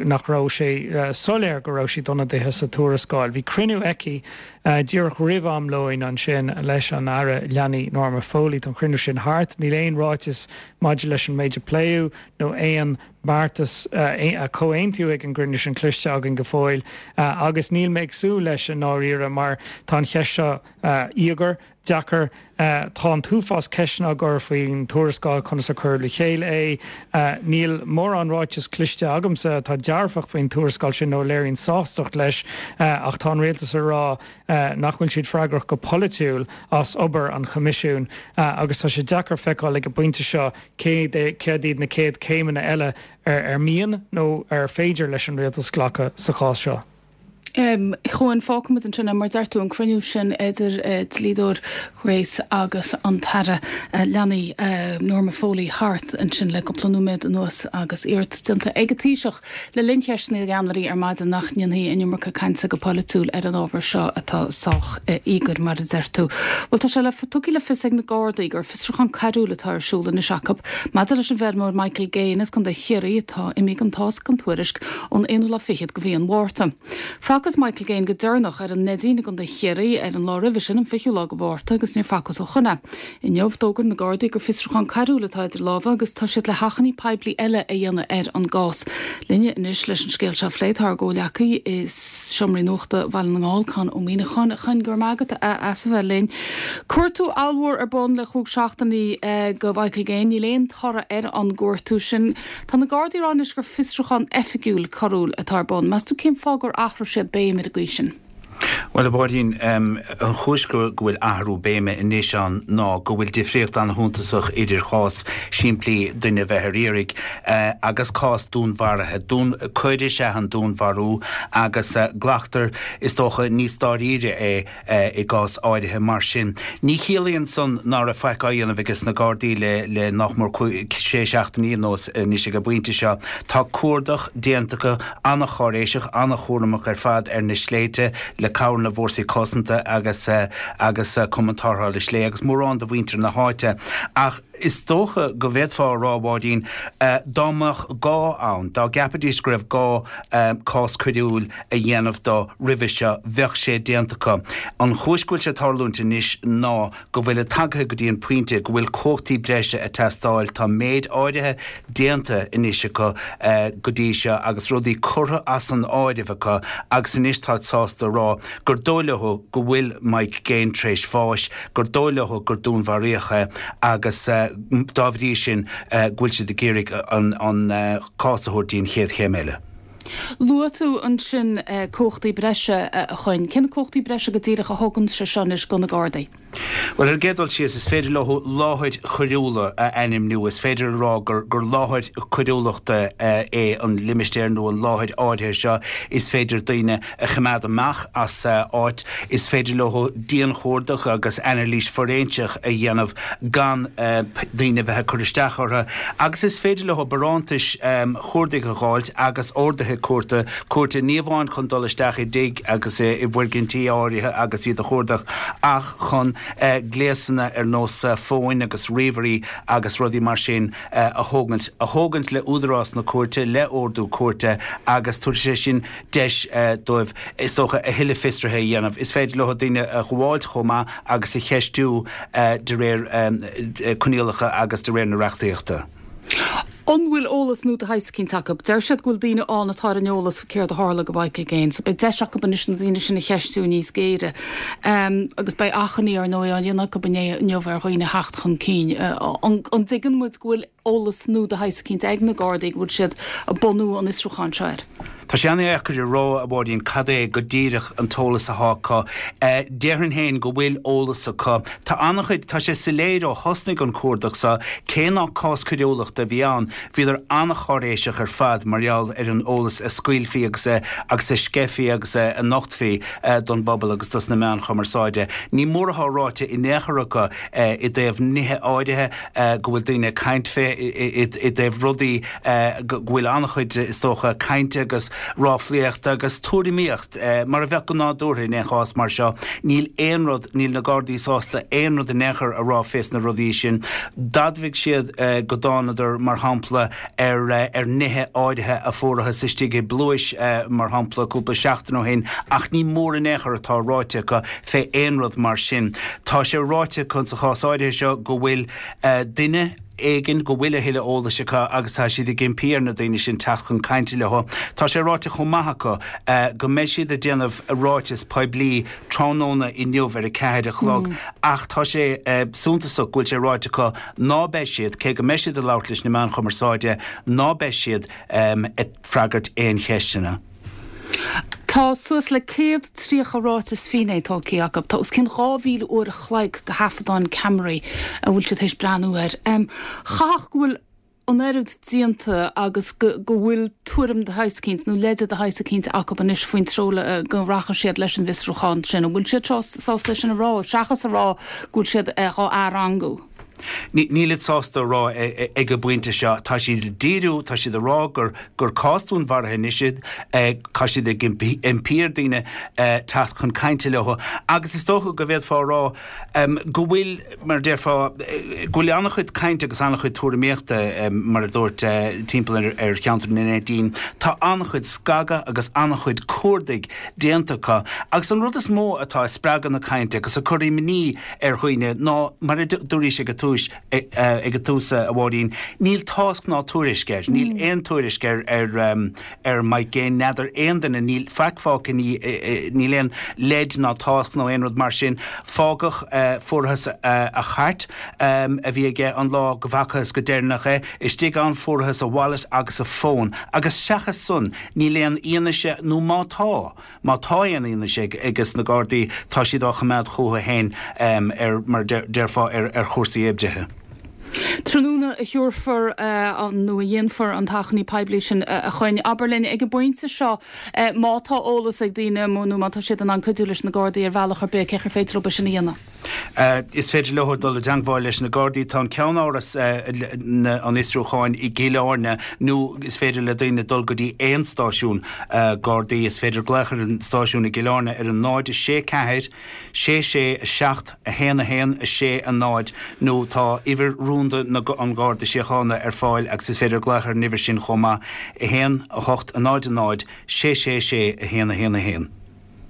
nach raibh sé soiléir go raibh siad ionadaithe sa tuarascáil. Bhí cruinniú aici díreach roimh am lóin ansin leis an Aire Leanaí Norma Foley. Tá an cruinniú sin thart. Níl aon ráiteas maidir leis an méid a pléadh nó aon beartas a comhaontaíodh ag an gcruinniú sin cloiste againn go fóill agus níl mé ag súil leis i ndáiríre mar tá an cheist seo íogair, deacair. Tá an t-uafás ceisteanna á gcur faoin tuarascáil, conas a cuireadh le chéile é. Níl mórán ráiteas cloiste agamsa atá dearfach faoin tuarascáil sin nó a léiríonn sástacht leis ach tá an rialtas ag rá nach bhfuil siad freagrach go polaitiúil as obair an Choimisiúin agus tá sé deacair feiceáil ag an bpointe seo céard iad na chéad chéimeanna eile ar mian nó ar féidir leis an rialtas glacadh sa chás seo. Chuain, fágfaimid ansin é, mar deir tú, an cruinniú sin idir dlíodóir Grace agus an tAire Leanaí Norma Foley thart ansin le cúpla nóiméad anuas agus iarratas déanta ag an Taoiseach le linn cheisteanna na gceannairí ar maidin nach ndéanfaí an iomarca cainte go polaitiúil ar an ábhar seo atá sách íogair, mar a deir tú. Bhuel, tá sé le tugtha le fios ag na Gardaí gur fiosrúchán coiriúil atá ar siúl anois acu maidir leis an bhfeirmeoir Michael Gaine as Contae Chiarraí atá imithe gan tásc gan tuairisc ón aonú lá fichead de mhí an Mhárta. Facthas Michael Gaine go deireanach ar an Neidín i gContae Chiarraí ar an lá roimhe sin, an fichiú lá de Mhárta, agus níor facthas ó shoin é. Inniu, d'fhógair na Gardaí gur fiosrúchán coiriúil atá idir lámha agus tá siad le hachainí poiblí eile a dhéanamh ar an gcás. Linne anois leis an scéal seo a phlé tá ár gcomhghleacaí i seomraí nuachta Bhaile na nGall, Conn Ó Muíneacháin. A Choinn, go raibh maith agat as a bheith linn. Cuartú ollmhór ar bun le chúig seachtainí go Mhichael Gaine. Níl aon toradh ar an gcuartú sin. Tá na Gardaí ag rá anois gur fiosrúchán oifigiúil coiriúil atá ar bun. Meas tú cén fáth gur athraigh siad béim ar an gcaoi sin? Bhuel, a Mháirín, an chúis go bhfuil athrú béime anois ann ná go bhfuil difríocht an-shuntasach idir chás simplí duine a bheith ar iarraidh agus cás dúnmharaithe. Dún, coir is ea an dúnmharú agus glactar, is dócha, níos dáiríre é i gcás áirithe mar sin. Ní chiallaíonn san ná raibh faic á dhéanamh ages na Gardaí le le nach mór sé seachtainí anuas anois ag an bpointe seo. Tá cuardach déanta acu an-cháiréiseach, an-chúramach ar fad ar na sléibhte le cabhair na bhfórsaí cosanta agus agus Cumann Tarrthála Sléibhe agus mórán de mhuintir na háite. Ach is dócha go bhféadfá a rá, a Mháirín, dá mbeadh gá ann, dá gceapfaidís go raibh gá cás coiriúil a dhéanamh dó roimhe seo, bheadh sé déanta acu. An chúis go bhfuil sé ag tarlúint anois ná go bhfuil et tagtha go dtí an pointe go bhfuil cumhachtaí breise ag teastáil. Tá méid áirithe déanta anois acu go dtí seo agus rudaí curtha as an áireamh acu agus anois táid sásta a rá gur dóigh leo go bhfuil Mike Gaine tar éis bháis, gur dóigh leo gur dúnmharaíodh é agus dá bhrí sin go bhfuil siad ag iarraidh an cás a thabhairt dtí an chéad chéim eile. Luaigh tú ansin cumhachtaí breise, a Choinn. Cé na cumhachtaí breise go díreach a thugann sé seo anois do na Gardaí? Bhuel, ar an gcéad dul síos, is féidir leo láthair choiriúla a ainmniú. Is féidir a rá gur gur láthair coiriúlachta é an limistéar nó an láthair áirithe seo. Is féidir daoine a choimeád amach as áit. Is féidir leo dianchuardach agus anailís fhoiréinseach a dhéanamh gan daoine a bheith ag cur isteach orthu. Agus is féidir leo barántais chuardaigh a dh'fháilt agus orduithe cúirte, cúirte ní amháin chun dul isteach i dtigh agus i bhfoirgintí áirithe agus iad a chuardach ach chun gléasanna ar nós fóin agus ríomhairí agus rudaí mar sin a thógaint, a thógaint le údarás na cúirte, le ordú cúirte agus tabharfaidh sé sin deis dóibh, is dócha, a thuilleadh fiosraithe a dhéanamh. Is féidir leo daoine a ghabháilt chomh maith agus a cheistiú de réir coinníollacha agus de réir na reachtaíochta. An bhfuil eolas nua de shaghas eicínt acu? Deir siad go bhfuil daoine ann atá ar an eolas faoi céard a tharla go Mhichael Gaine, so beidh deis acu anois na daoine sin a cheistiú níos géire. Agus beidh achainí, ar ndóigh, á dhéanamh acu inniu ar dhaoine theacht chun cinn. An dtuigeann muid go bhfuil eolas nua de shaghas eicínt ag na Gardaí go bhfuil siad ag bunú an fhiosrúcháin seo air? Tá sé an-deacair a rá, a Mháirín, cad é go díreach an t-eolas athá acu. Déarfainn féin go bhfuil eolas acu. Tá an-chuid, tá sé soiléir ó thosnaigh an cuardach seo, cé nach cás coiriúlachta a bhí ann, bhíodar an-cháiréiseach ar fad mar gheall ar an eolas a scaoilfí agus a agus a sceithfí agus a nochtfaí don bpobal agus dos na meáin chumarsáide. Ní mór athá ráite in aon chor acu i dtaobh nithe áirithe go bhfuil daoine ag caint fé, i dtaobh rudaí go bhfuil an-chuid, is dócha, cainte agus ráflaíocht agus tuairimíocht, mar a bheadh go nádúrtha in aon chás mar seo. Níl aon rud, níl na Gardaí sásta aon rud in aon chor a rá fés na rudaí sin. D'admhaigh siad go dtánadar, mar shampla, ar ar nithe áirithe a fuarathas istigh i bpluais, mar shampla, cúpla seachtain ó shin, ach ní mór in aon chor atá ráite acu fé aon rud mar sin. Tá sé ráite acu sa chás áirithe seo go bhfuil duine, éigin go bhfuil a thuilleadh eolais acu agus tá siad ag impí ar na daoine sin teacht chun cainte leo. Tá sé ráite chomh maith acu go mbeidh siad ag déanamh ráiteas poiblí tráthnóna inniu ar a ceathair a chlog ach tá sé suntasach go bhfuil sé ráite acu ná beidh siad, cé go mbeidh siad ag labhairt leis na meáin chumarsáide, ná beidh siad ag freagairt aon cheisteanna. Tá suas le céad tríocha ráiteas finné tógtha acu. Tá os cionn dhá mhíle uair a chloig de thaifeadáin ceamaraí a bhfuil siad théis breathnú air. Chaithfeadh go bhfuil an oiread déanta agus go bhfuil tuairim de shaghas eicínt nó leide de shaghas eicínt acu anois faoin treo go rachaidh siad leis an bhfiosrúchán sin. An bhfuil siad sásta é sin a rá, seachas a rá go bhfuil siad dhá athrangú? Nílid sásta a rá ag an bpointe seo. Tá siad ag díriú, tá siad ag rá gur gur cás dúnmharaithe anois é, tá siad ag impí ar daoine teacht chun cainte leo agus is dócha go bhféadfá a rá go bhfuil, mar a déarfá, go bhfuil an-chuid cainte agus an-chuid tuairimíochta, mar a dúirt, timpeall ar cheantar na Neidín. Tá an-chuid scagadh agus an-chuid cuardaigh déanta acu agus an rud is mó atá ag spreagadh na cainte agus ag cur imní ar dhaoine ná, mar a dúraís ag an túis, ag an tús, a Mháirín, níl tásc ná tuairisc air, níl aon tuairisc ar ar Mike Gaine, n'fheadar aon duine, níl faic fágtha, níl aon leid ná tásc nó aon rud mar sin. Fágadh, fuarthas a chairt a bhí aige an lá go bhfacthas go deireanach é, istigh ann fuarthas a wallet agus a fón agus seachas san níl aon fhianaise nó má tá, Má tá aon fhianaise ages na Gardaí, tá siad á choimeád chucu féin ar, mar déarfá, ar chúrsaí oibrithe. Tráthnóna a thabharfar nó a dhéanfar an t-achainí poiblí sin a Choinn. Abair linn ag an bpointe seo má tá eolas ag daoine nó má tá siad in ann cuidiú leis na Gardaí ar bhealach ar bith, cén chaoi ar féidir leo é sin a dhéanamh? Is féidir leo dul i dteangmháil leis na Gardaí. Tá an ceannáras an fhiosrúcháin i gCill Airne nó is féidir le daoine dul go dtí aon stáisiún Gardaí. Is féidir glaoch ar an stáisiún i gCill Airne ar an náid sé ceathair sé sé a seacht a haon a haon a sé a náid nó tá uimhir rúnda na an Gharda Síochána ar fáil agus is féidir glaoch ar an uimhir sin chomh maith, a haon a hocht a náid a náid sé sé sé a haon a haon a haon.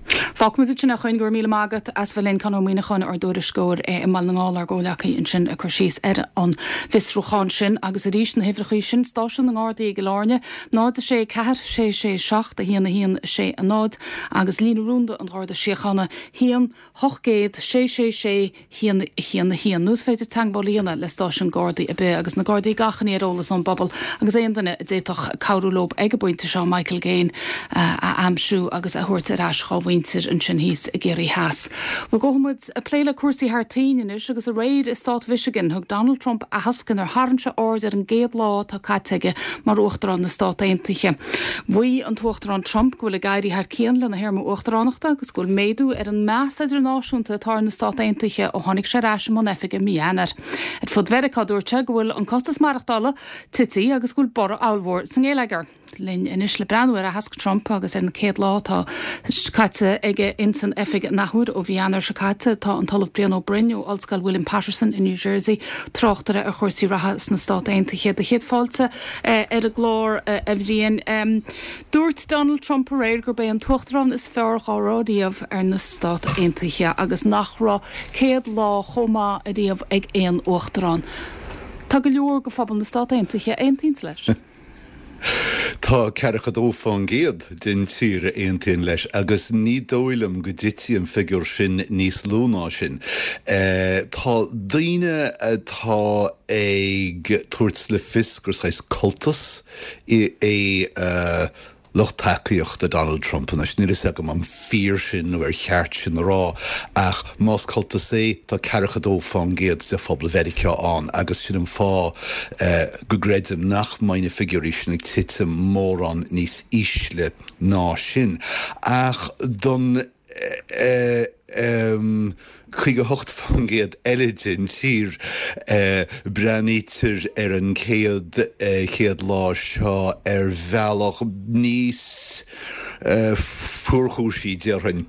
Fágfaimid ansin é a Choinn, go raibh míle maith agat as bheith linn, Conn Ó Muíneacháin, ár dtuairisceoir i mBaile na nGall, ár gcomhleacaí ansin ag cur síos ar an bhfiosrúchán sin. Agus arís na huimhreachaí sin, Stáisiún na nGardaí i gCill Airne, náid a sé ceathair sé sé seacht a haon a haon sé a náid agus líne rúnda an Gharda Síochána, haon, ocht gcéad, sé sé sé, haon, haon, haon. Nó is féidir teagmháil a dhéanamh le stáisiún Gardaí ar bith agus na Gardaí ag achainí ar eolas ón bpobal agus aon duine a d'fhéadfadh cabhrú leo ag an bpointe seo Michael Gaine a aimsiú agus a thabhairt ar ais dhá mhuintir ansin thíos i gCiarraí Theas. Bhuel, gabhfaidh muid ag plé le cúrsaí thar toinn anois agus aréir i stát Mhichigan thug Donald Trump aitheasc inar tharraing sé aird ar an gcéad lá atá caite aige mar Uachtarán na Stát Aontaithe. Mhaígh an tUachtarán Trump go bhfuil ag éirí thar cionn lena théarma uachtaránachta agus go bhfuil méadú ar an meas idirnáisiúnta atá ar na Stát Aontaithe ó tháinig sé ar ais i mbun oifige mí Eanáir. Ar fud Mheiriceá dúirt sé go bhfuil an costas maireachtála tite agus go bhfuil borradh ollmhór sa ngeilleagar. Linn anois le breathnú ar aitheasc Trump agus ar an céad lá atá caite aige ins an oifig an athuair ó mhí Eanáir seo caite tá an tOllamh Brian Ó Broin ó Ollscoil William Paterson i New Jersey, tráchtaire ar chúrsaí reatha sna Stát Aontaithe. Do chéad fáilte ar an gclár, a Bhriain. Dúirt Donald Trump aréir gurb é an t-uachtarán is fearr dhá raibh riamh ar na Stát Aontaithe agus nach raibh céad lá chomh maith ariamh ag aon uachtarán. Tá go leor de phobal na Stát Aontaithe a aontaíonns leis. Tá ceathracha dó fán gcéad den tír a aontaíonn leis agus ní dóigh liom go dtitfidh an figiúr sin níos lú ná sin. Tá daoine atá ag tabhairt le fios gur saghas cultas é lucht tacaíochta Donald Trump anois. Níl fhios agam an fíor sin nó ar cheart sin a rá, ach más cultas é, tá ceathracha dó fán gcéad de phobal Mheiriceá ann agus sin an fáth go gcreidim nach mbeidh na figiúirí sin ag titim mórán níos ísle ná sin. Ach don caoga a hocht faoin gcéad eile den tír, breathnaítear ar an céad chéad lá seo ar bhealach níos fuarchúisí, déarfainn.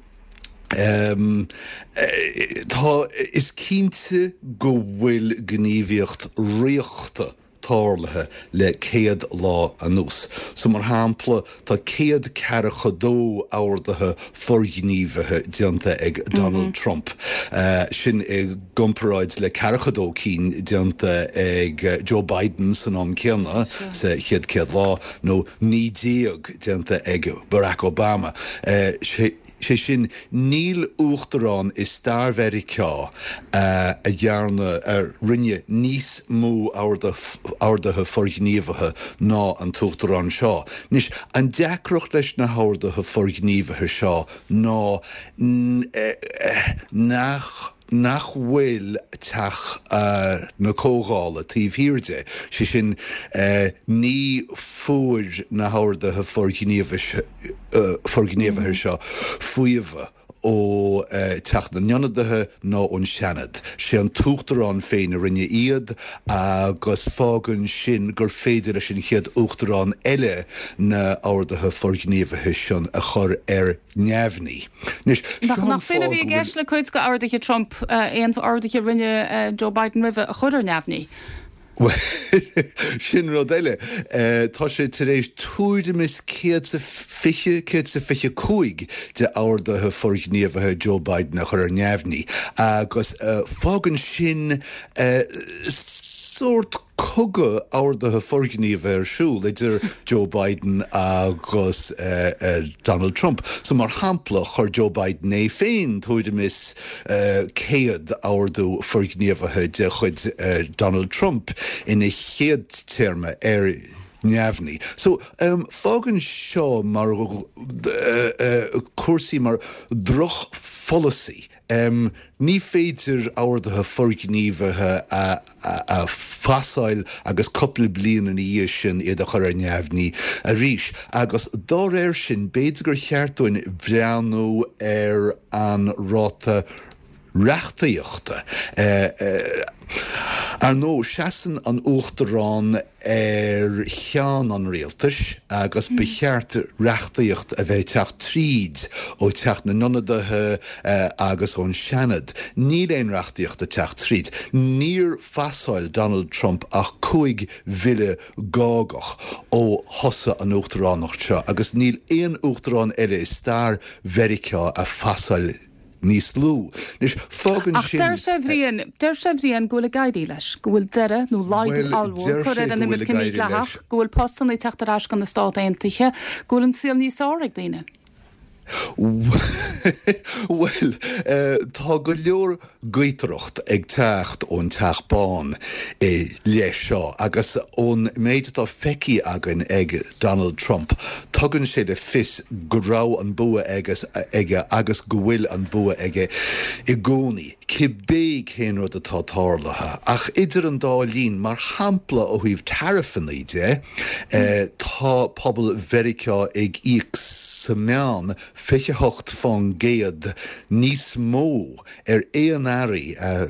Tá, is cinnte go bhfuil gníomhaíocht ríochta tarlaithe le céad lá anuas. So mar shampla, tá céad ceathracha dó orduithe forghníomhaithe déanta ag Donald Trump, sin i gcomparáid le ceathracha dó cinn déanta ag Joe Biden san am céanna sa chéad céad lá, nó naoi déag déanta ag Barack Obama. Sé sin, níl uachtarán i stair Mheiriceá a dhearna, a rinne níos mó orduithe forghníomhaithe ná an t-uachtarán seo. Anois, an deacracht leis na horduithe forghníomhaithe seo ná nach nach bhfuil Teach na Comhdhála taobh thiar de, sé sin, ní fuair na horduithe forghníomhaithe seo faomhadh ó Teach na nIonadaithe ná ón Seanad. Sé an tUachtarán féin a rinne iad agus fágann sin gur féidir leis an chéad Uachtarán eile na horduithe forghníomhaithe sin a chur ar neamhní. Anois, seo an Nach b'in a bhí i gceist le cuid de orduithe Trump, aon orduithe a rinne Joe Biden roimhe a chur ar neamhní? Bhuel, sin rud eile. Tá sé tar éis tuairim is céad is a fiche, céad is a fiche cúig de orduithe forghníomhaithe Joe Biden a chur ar neamhní agus fágann sin sórt cogadh orduithe forghníomhaithe ar siúl idir Joe Biden agus Donald Trump. So mar shampla, chuir Joe Biden é féin tuairim is céad ordú forghníomhaithe de chuid Donald Trump ina chéad téarma ar neamhní. So fágann seo mar cúrsaí mar drochpholasaí. Ní féidir orduithe forghníomhaithe a phasáil agus cúpla bliain ina dhiaidh sin iad a chur ar neamhní arís. Agus dá réir sin, b'fhéidir gur cheart dúinn breathnú ar an ráta reachtaíochta. Ar ndóigh, seasann an Uachtarán ar cheann an rialtais agus ba cheart reachtaíocht a bheith ag teacht tríd ó Teach na nIonadaithe agus ón Seanad. Níl aon reachtaíocht ag teacht tríd. Níor phasáil Donald Trump ach cúig bhille gágach ó thosaigh an uachtaránacht seo agus níl aon uachtarán eile i stair Mheiriceá a phasáil níos lú. Anois, fágann Ach sin. deir sé, a Bhriain, deir sé, a Bhriain, go bhfuil ag éirí leis, go bhfuil deireadh nó laghdú Bhuel, ollmhór deir curtha sé ar an go bhfuil imirce ag éirí mídhleathach, leis. go bhfuil postanna ag teacht ar ais go na Stát Aontaithe, go bhfuil an saol níos fearr ag daoine. Bhuel, tá go leor gaotaireacht ag teacht ón Teach Bán i leith seo agus ón méid atá feicthe againn ag Donald Trump, tugann sé le fios go raibh an bua aige agus go bhfuil an bua aige i gcónaí, cibé cén rud atá tarlaithe. Ach idir an dá linn, mar shampla ó thaobh taraifeanna de, tá pobal Mheiriceá ag íoc sa meán fiche hocht fán gcéad níos mó ar aon earraí a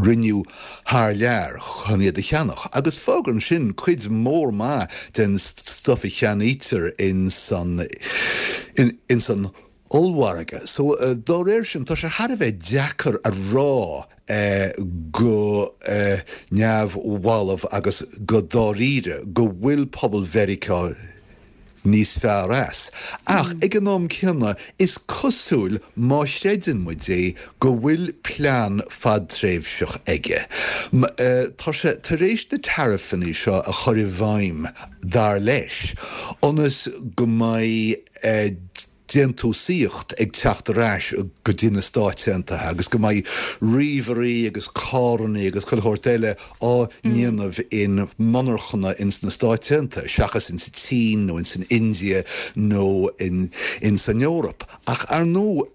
rinneadh thar lear chun iad a cheannach, agus fágann sin cuid mhór maith den stuif a cheannaítear ins an ins an ollmhargadh. So dá réir sin, tá sé thar a bheith deacair a rá go neamhbhalbh agus go dáiríre go bhfuil pobal Mheiriceá níos fearr as. Ach ag an am céanna, is cosúil, má chreideann muid é, go bhfuil plean fadtréimhseach aige. Tá sé tar éis na taraifeanna seo a chur i bhfeidhm, dar leis, ionas go mbeidh déantúsaíocht ag teacht ar ais go dtí na Stáit Aontaithe agus go mbeidh ríomhairí agus carranna agus chuile shórt eile á ndéanamh in monarchana ins na Stáit Aontaithe seachas ins an tSín nó ins an India nó in ins an Eoraip. Ach ar ndóigh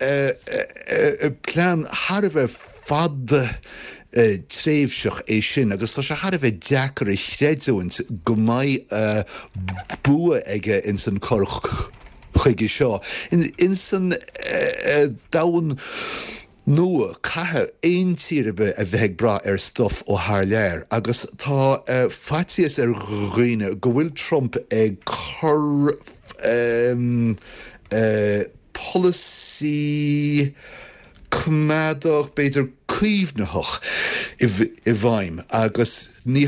plean thar a bheith fadtréimhseach é sin agus tá sé thar a bheith deacair a chreidiúint go mbeidh bua aige ins an cur chuige seo. Ins an domhan nua, caithfidh aon tír ar bith a bheith ag brath ar stuff ó thar lear agus tá faitíos ar dhaoine go bhfuil Trump ag cur polasaí coimeádach, b'fhéidir caomhnaitheach, i bhfeidhm agus ní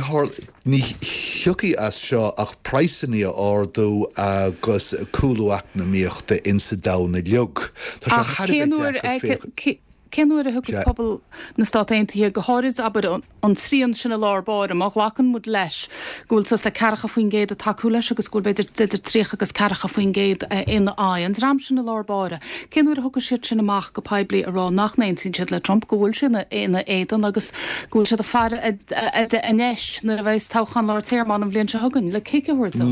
ní thiocfaidh as seo ach praghsanna a ardú agus cúlú eacnamaíochta insa domhan uilig. Tá sé thar a bheith deacair féachaint. Cén uair a thiocfas pobal na Stát Aontaithe, go háirid, abair, an trian sin i lár báire, má ghlacann muid leis go bhfuil suas le ceathracha faoin gcéad ag tacú leis agus go bhfuil b'fhéidir idir tríocha agus ceathracha faoin gcéad ina aghaidh, an dream sin i lár báire, cén uair a thiocfaidh siad sin amach go poiblí a rá nach n-aontaíonn siad le Trump, go bhfuil sé ina éadan agus go bhfuil siad ag faire anois nuair a bheas toghchán lár téarma ann an bhliain seo chugainn, le cic a thabhairt dó?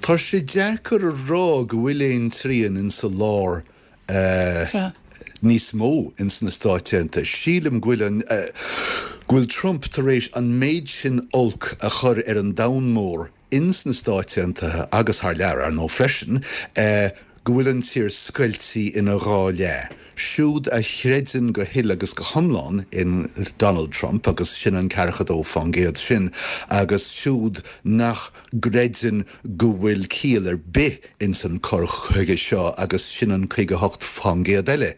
Tá sé deacair a rá go bhfuil aon trian insa lár. níos mó ins na Stáit Aontaithe. Sílim go bhfuil an, go bhfuil Trump tar éis an méid sin olc a chur ar an domhan mór ins na Stáit Aontaithe agus thar lear, ar ndóigh, freisin, go bhfuil an tír scoiltí ina dhá leath. Siúd a chreideann go huile agus go hiomlán in Donald Trump, agus sin an ceathracha dó fán gcéad sin, agus siúd nach gcreideann go bhfuil ciall ar bith ins an cur chuige seo agus sin an caoga hocht fán gcéad eile.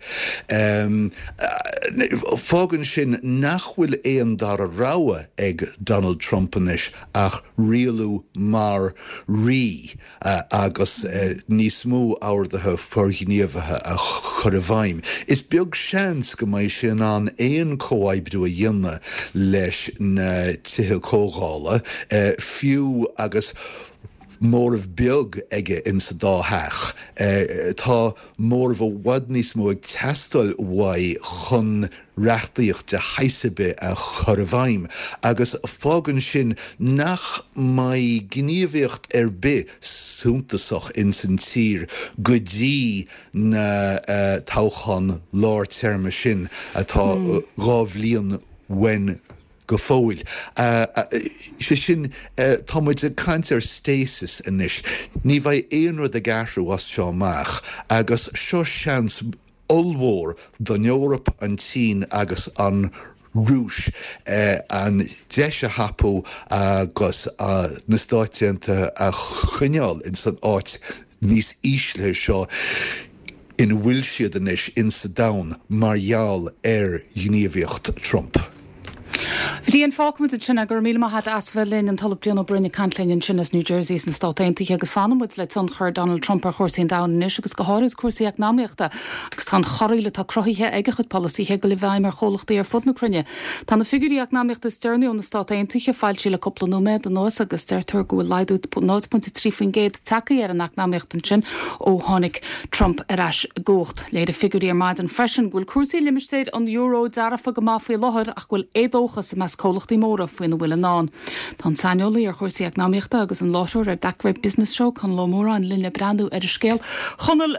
Fágann sin nach bhfuil aon dara rogha ag Donald Trump anois ach rialú mar rí agus níos mó orduithe forghníomhaithe a chur i bhfeidhm. Is beag seans go mbeidh sé in ann aon chomhoibriú a dhéanamh leis na tithe comhdhála, fiú agus móramh beag aige insa dá theach. Tá móramh i bhfad níos mó ag teastáil uaidh chun reachtaíocht de shaghas ar bith a chur i bhfeidhm agus fágann sin nach mbeidh gníomhaíocht ar bith suntasach insan tír go dtí na toghcháin lár téarma sin atá dhá bhliain uainn go fóill. Sé sin, tá muid ag caint ar stasis anois. Ní bheidh aon rud ag athrú as seo amach agus seo seans ollmhór don Eoraip, an tSín agus an Rúis an deis a thapú agus na Stáit Aontaithe a choinneáil ins an áit níos ísle seo ina bhfuil siad anois insa domhan mar gheall ar ghníomhaíocht Trump. Bhriain, fágfaimid ansin é. Go raibh míle maith agat as bheith linn, an tOllamh Brian Ó Broin ag caint linn ansin as New Jersey sna Stáit Aontaithe agus fanann muid le tionchar Donald Trump ar chúrsaí an domhain anois agus go háirid cúrsaí eacnamaíochta agus tá an chorraíl atá cruthaithe ag a chuid polasaithe ag dul i bhfeidhm ar chomhlachtaí ar fud na cruinne. Tá na figiúirí eacnamaíochta is deireanaí ó na Stáit Aontaithe foilsithe le cúpla nóiméad anuas agus deirtear go bhfuil laghdú náid pointe trí faoin gcéad tagtha ar an eacnamaíocht ansin ó tháinig Trump ar ais i gcumhacht. Léirigh figiúirí ar maidin freisin go bhfuil cúrsaí i limistéar an euro dearfa go maith faoi láthair ach go bhfuil éadóchas i measc comhlachtaí móra faoina bhfuil i ndán. Tá an saineolaí ar chúrsaí eacnamaíochta agus an láithreoir ar That Great Business Show, Conall Ó Móráin, linn le breathnú ar an scéal. Chonaill,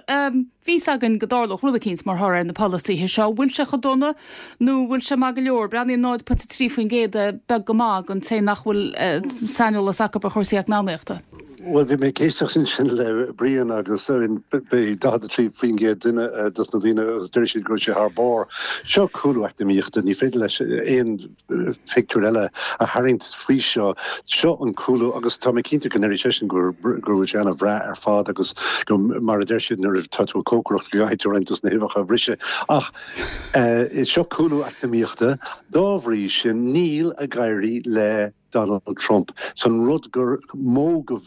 bhí fhios againn go dtarlódh rud eicínt mar thoradh ar na polasaithe seo. Bhfuil sé chomh dona nó bhfuil sé maith go leor? Breathnaíonn náid pointe trí faoin gcéad beag go maith don té nach bhfuil saineolas acu ar chúrsaí eacnamaíochta. Bhuel, bhí mé ag éisteacht ansin le Brian agus bhí daichead a trí faoin gcéad duine dos na daoine agus deir siad go raibh sé thar barr. Seo cúlú eacnamaíochta, ní féidir leis aon phictiúr eile a tharraingt faoi seo. Seo an cúlú agus tá mé cinnte go ndéarfaidh seisean go bhfuil sé ana-bhreá ar fad agus go mar a deir siad nuair atá tú ag cócaireacht go gcaithfidh tú roinnt dos na huibheacha a bhriseadh. Ach seo cúlú eacnamaíochta, dá bhrí sin níl ag éirí le Donald Trump. San rud gur mó go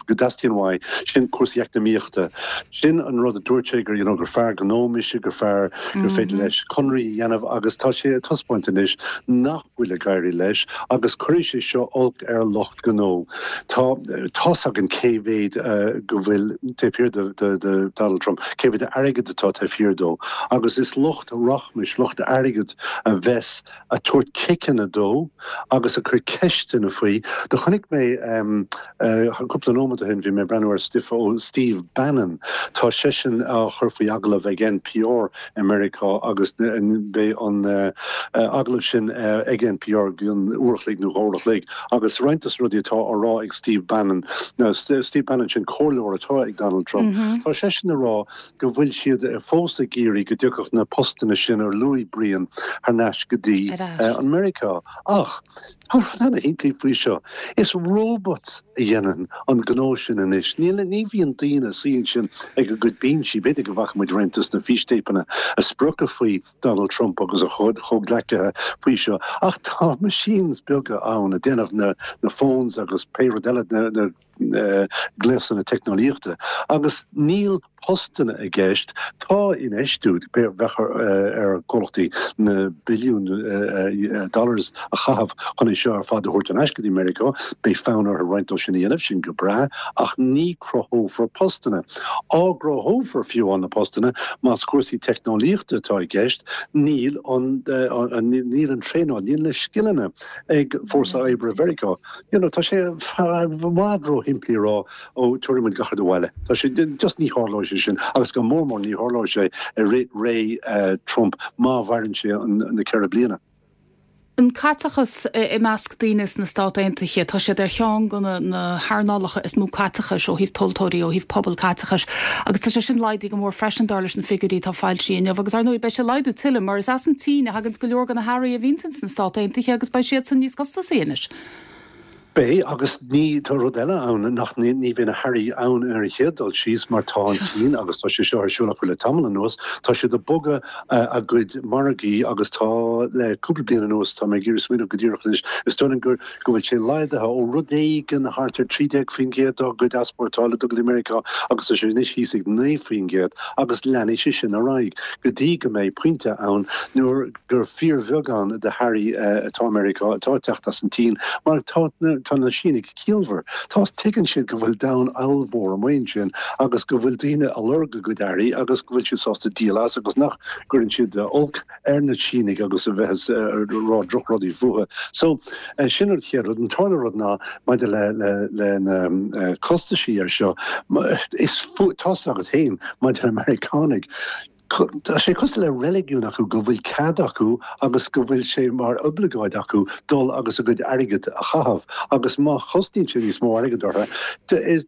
dteastaíonn uaidh sin cúrsaí eacnamaíochta. Sin an rud a dúirt sé gur you know, gur fear gnó mise gur fear gur féidir leis conraí a dhéanamh agus tá sé ag taispeáint anois nach bhfuil ag éirí leis agus cuirfidh sé seo olc ar lucht gnó. Tá tá's againn cé mhéad uh, go bhfuil taobh thiar de, de, de Donald Trump, cé mhéad airgead atá taobh thiar dó. Agus is lucht rachmais lucht airgead a bheas ag tabhairt ciceanna dó agus ag cur ceisteanna faoi. Do chonaic mé um, uh, cúpla nóiméad ó shin bhí mé ag breathnú ar stuif ó Steve Bannon Tá seisean á chur faoi agallamh ag NPR i Meiriceá agus beidh an uh, uh, agallamh sin uh, ag NPR an uair a chloig nó dhá uair a chloig agus roinnt des rudaí atá á rá ag Steve Bannon Now, Steve Bannon sin comhairleoir atá ag Donald Trump. Mm -hmm. Tá seisean ag rá go bhfuil siad fós ag iarraidh go dtiocfadh na postanna sin ar luaigh Brian thar n-ais go dtí uh, an Meiriceá. Ach Tá rud ana-shimplí faoi seo. Is robots a dhéanann an gnó sin anois. Níl ní bhíonn daoine suí ansin ag a gcuid binsí b'fhéidir go bhfaca muid roinnt des na fístéipeanna a spriocadh faoi Donald Trump agus a chuid chomhghleacaithe faoi seo. Ach tá machines beaga ann a déanamh na, na phones agus pé rud eile na, na uh, gléasanna teicneolaíochta. Agus níl postanna i gceist tá infheistiú bheith ar chomhlachtaí na billiún dollars a chaitheamh chun é seo ar fad a thabhairt ar ais go dtí Meiriceá, beidh fonn orthu roinnt dó sin a dhéanamh sin go breá ach ní cruthófar postanna. Á gcruthófar fiú an na postanna más cúrsaí teicneolaíochta atá i gceist, níl an níl an traenáil, níl na scileanna ag fórsa oibre Mheiriceá. You know, tá sé i bhfad róshimplí rá ó tabharfaidh muid gach rud abhaile. Tá sé just ní tharlóidh sé sin agus go mór mór ní tharlóidh sé i rith ré uh, Trump má mhaireann sé na ceithre bliana. An caiteachas i measc daoine sna Stáit Aontaithe, tá siad ar cheann de na hearnálacha is mó caiteachais ó thaobh tomhaltóirí ó thaobh pobal caiteachais, agus tá sé sin laghdaithe go mór freisin dar leis na figiúirí atá foilsithe inniu, agus ar ndóigh beidh sé ag laghdú tuilleadh mar is as an tSín a thagann go leor de na hearraí a bhíonn sna Stáit Aontaithe agus beidh siad san níos costasaí anois. Beidh agus ní tá rud eile ann nach ní bhíonn na hearraí ann ar an chéad dul síos mar tá an tSín agus tá sé seo ar siúl acu le tamall anuas, tá siad ag bogadh a gcuid margaí agus tá le cúpla bliain anuas tá mé ag iarraidh smaoineamh go díreach anois is dóigh liom gur go bhfuil sé laghdaithe ó rud éigin thart ar trí déag faoin gcéad dá gcuid easpórtála go dtí Meiriceá agus tá sé anois thíos ag naoi faoin gcéad agus leanfaidh sé sin ar aghaidh go dtí go mbeidh pointe ann nuair gur fíorbheagán de hearraí atá Meiriceá atá ag teacht as an tSín mar tá na tá na Sínigh ciallmhar. Tá tuigeann siad go bhfuil domhan ollmhór amuigh ansin agus go bhfuil daoine ag lorg a gcuid earraí agus go bhfuil siad sásta díol as agus nach gcuireann siad olc ar na Sínigh agus a bheith ag rá drochrudaí fúthu. So eh, sin an chéad rud an tarna rud ná maidir le le le na eh, costaisí ar seo is tá agat féin maidir le Meiriceánaigh. Tá sé cosúil le reiligiún acu go bhfuil cead acu agus go bhfuil sé mar oibleagáid acu dul agus a gcuid airgid a chaitheamh agus má chosnaíonn sé níos mó airgid orthu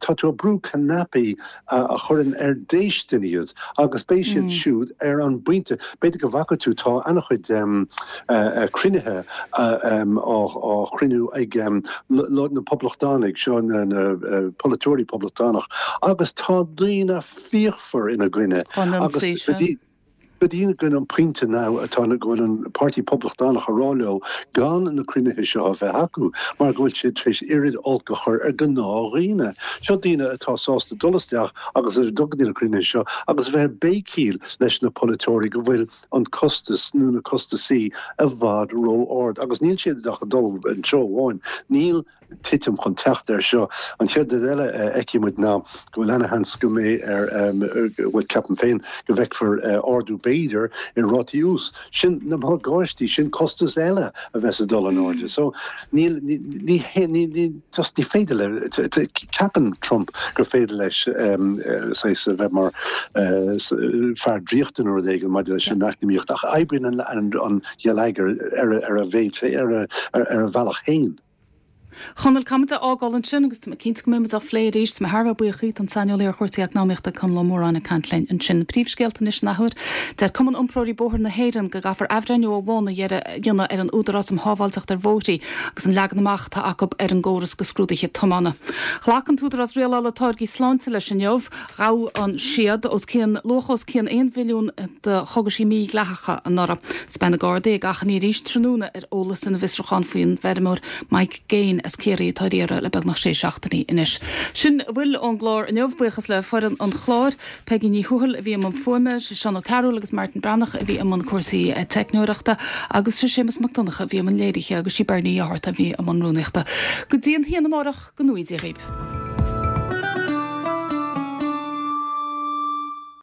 tá tú ag brú cnaipí a chuireann ar déistin iad agus beidh siad mm. siúd ar an bpointe b'fhéidir go bhfaca tú tá an-chuid um, uh, cruinnithe uh, um, á, á chruinniú ag um, na poblachtánaigh seo na, na uh, polaiteoirí poblachtánach agus tá daoine fíochmhar ina gcoinne agus go dtí go an pointe now atá na go bhfuil an Páirtí Poblachtánach ag rá leo gan na cruinnithe seo a bheith acu mar go bhfuil sé tar éis oiread olc a chur ar gnáthdhaoine. Seo daoine atá sásta dul isteach agus ar dul na cruinnithe seo agus bheith ag béicíl leis na polaiteoirí go bhfuil an costas nó na costaisí i bhfad ró-ard agus níl siad ach ag dul an treo amháin. Níl titim chun teacht air seo. An chéad rud eile a fheicfidh muid ná go bhfuil ana-sheans go mbeidh ar bhuel ceapaim féin go bhfeicfear ardú b'fhéidir i rátaí úis. Sin na morgáistí, sin costas eile a bheas ag dul in airde. So níl ní ní just ní féidir le ceapann Trump gur féidir leis saghas a bheith mar fear draíochta nó rud éigin maidir leis an eacnamaíocht ach oibríonn an an geilleagar ar ar a mhéid ar ar a bhealach féin. Chonaill caithfidh muid a fhágáil ansin agus tá mé cinnte go mbeidh muid á phlé arís tá mé thar a bheith buíoch díot an saineolaí ar chúrsaí eacnamaíochta Conall Ó Móráin ag caint linn ansin. Príomhscéalta anois an athuair. Deir Cumann Iompróirí Bóthair na hÉireann go gcaithfear athbhreithniú ó bhonn a dhéanamh ar an Údarás um Shábháilteacht ar Bhóithre agus an leagan amach atá acu ar an gcóras do scrúduithe tiomána. Ghlac an tÚdarás Rialála Táirgí Sláinte leis inniu ghabh an siad os cionn luach os cionn aon mhilliún de chógaisí mídhleathacha anuraidh. Is beidh na Gardaí ag achainí arís tráthnóna ar eolas ina bhfiosrúchán faoin bhfeirmeoir Mike Gaine as Ciarraí atá ar iarraidh le beagnach sé seachtainí anois. Sin a bhfuil ón gclár inniu, buíochas le foireann an chláir, Peigí Ní Thuathail a bhí i mbun fuaime, Seán Ó Cearúil agus Martin Breathnach a bhí i mbun cúrsaí teicneoireachta agus sé Séamus Mac Donncha a bhí i mbun léirithe agus sí Bernie Ní Fhátharta a bhí i mbun rúnaíochta. Go dtí an haon amárach, go ngnóthaí Dia dhaoibh.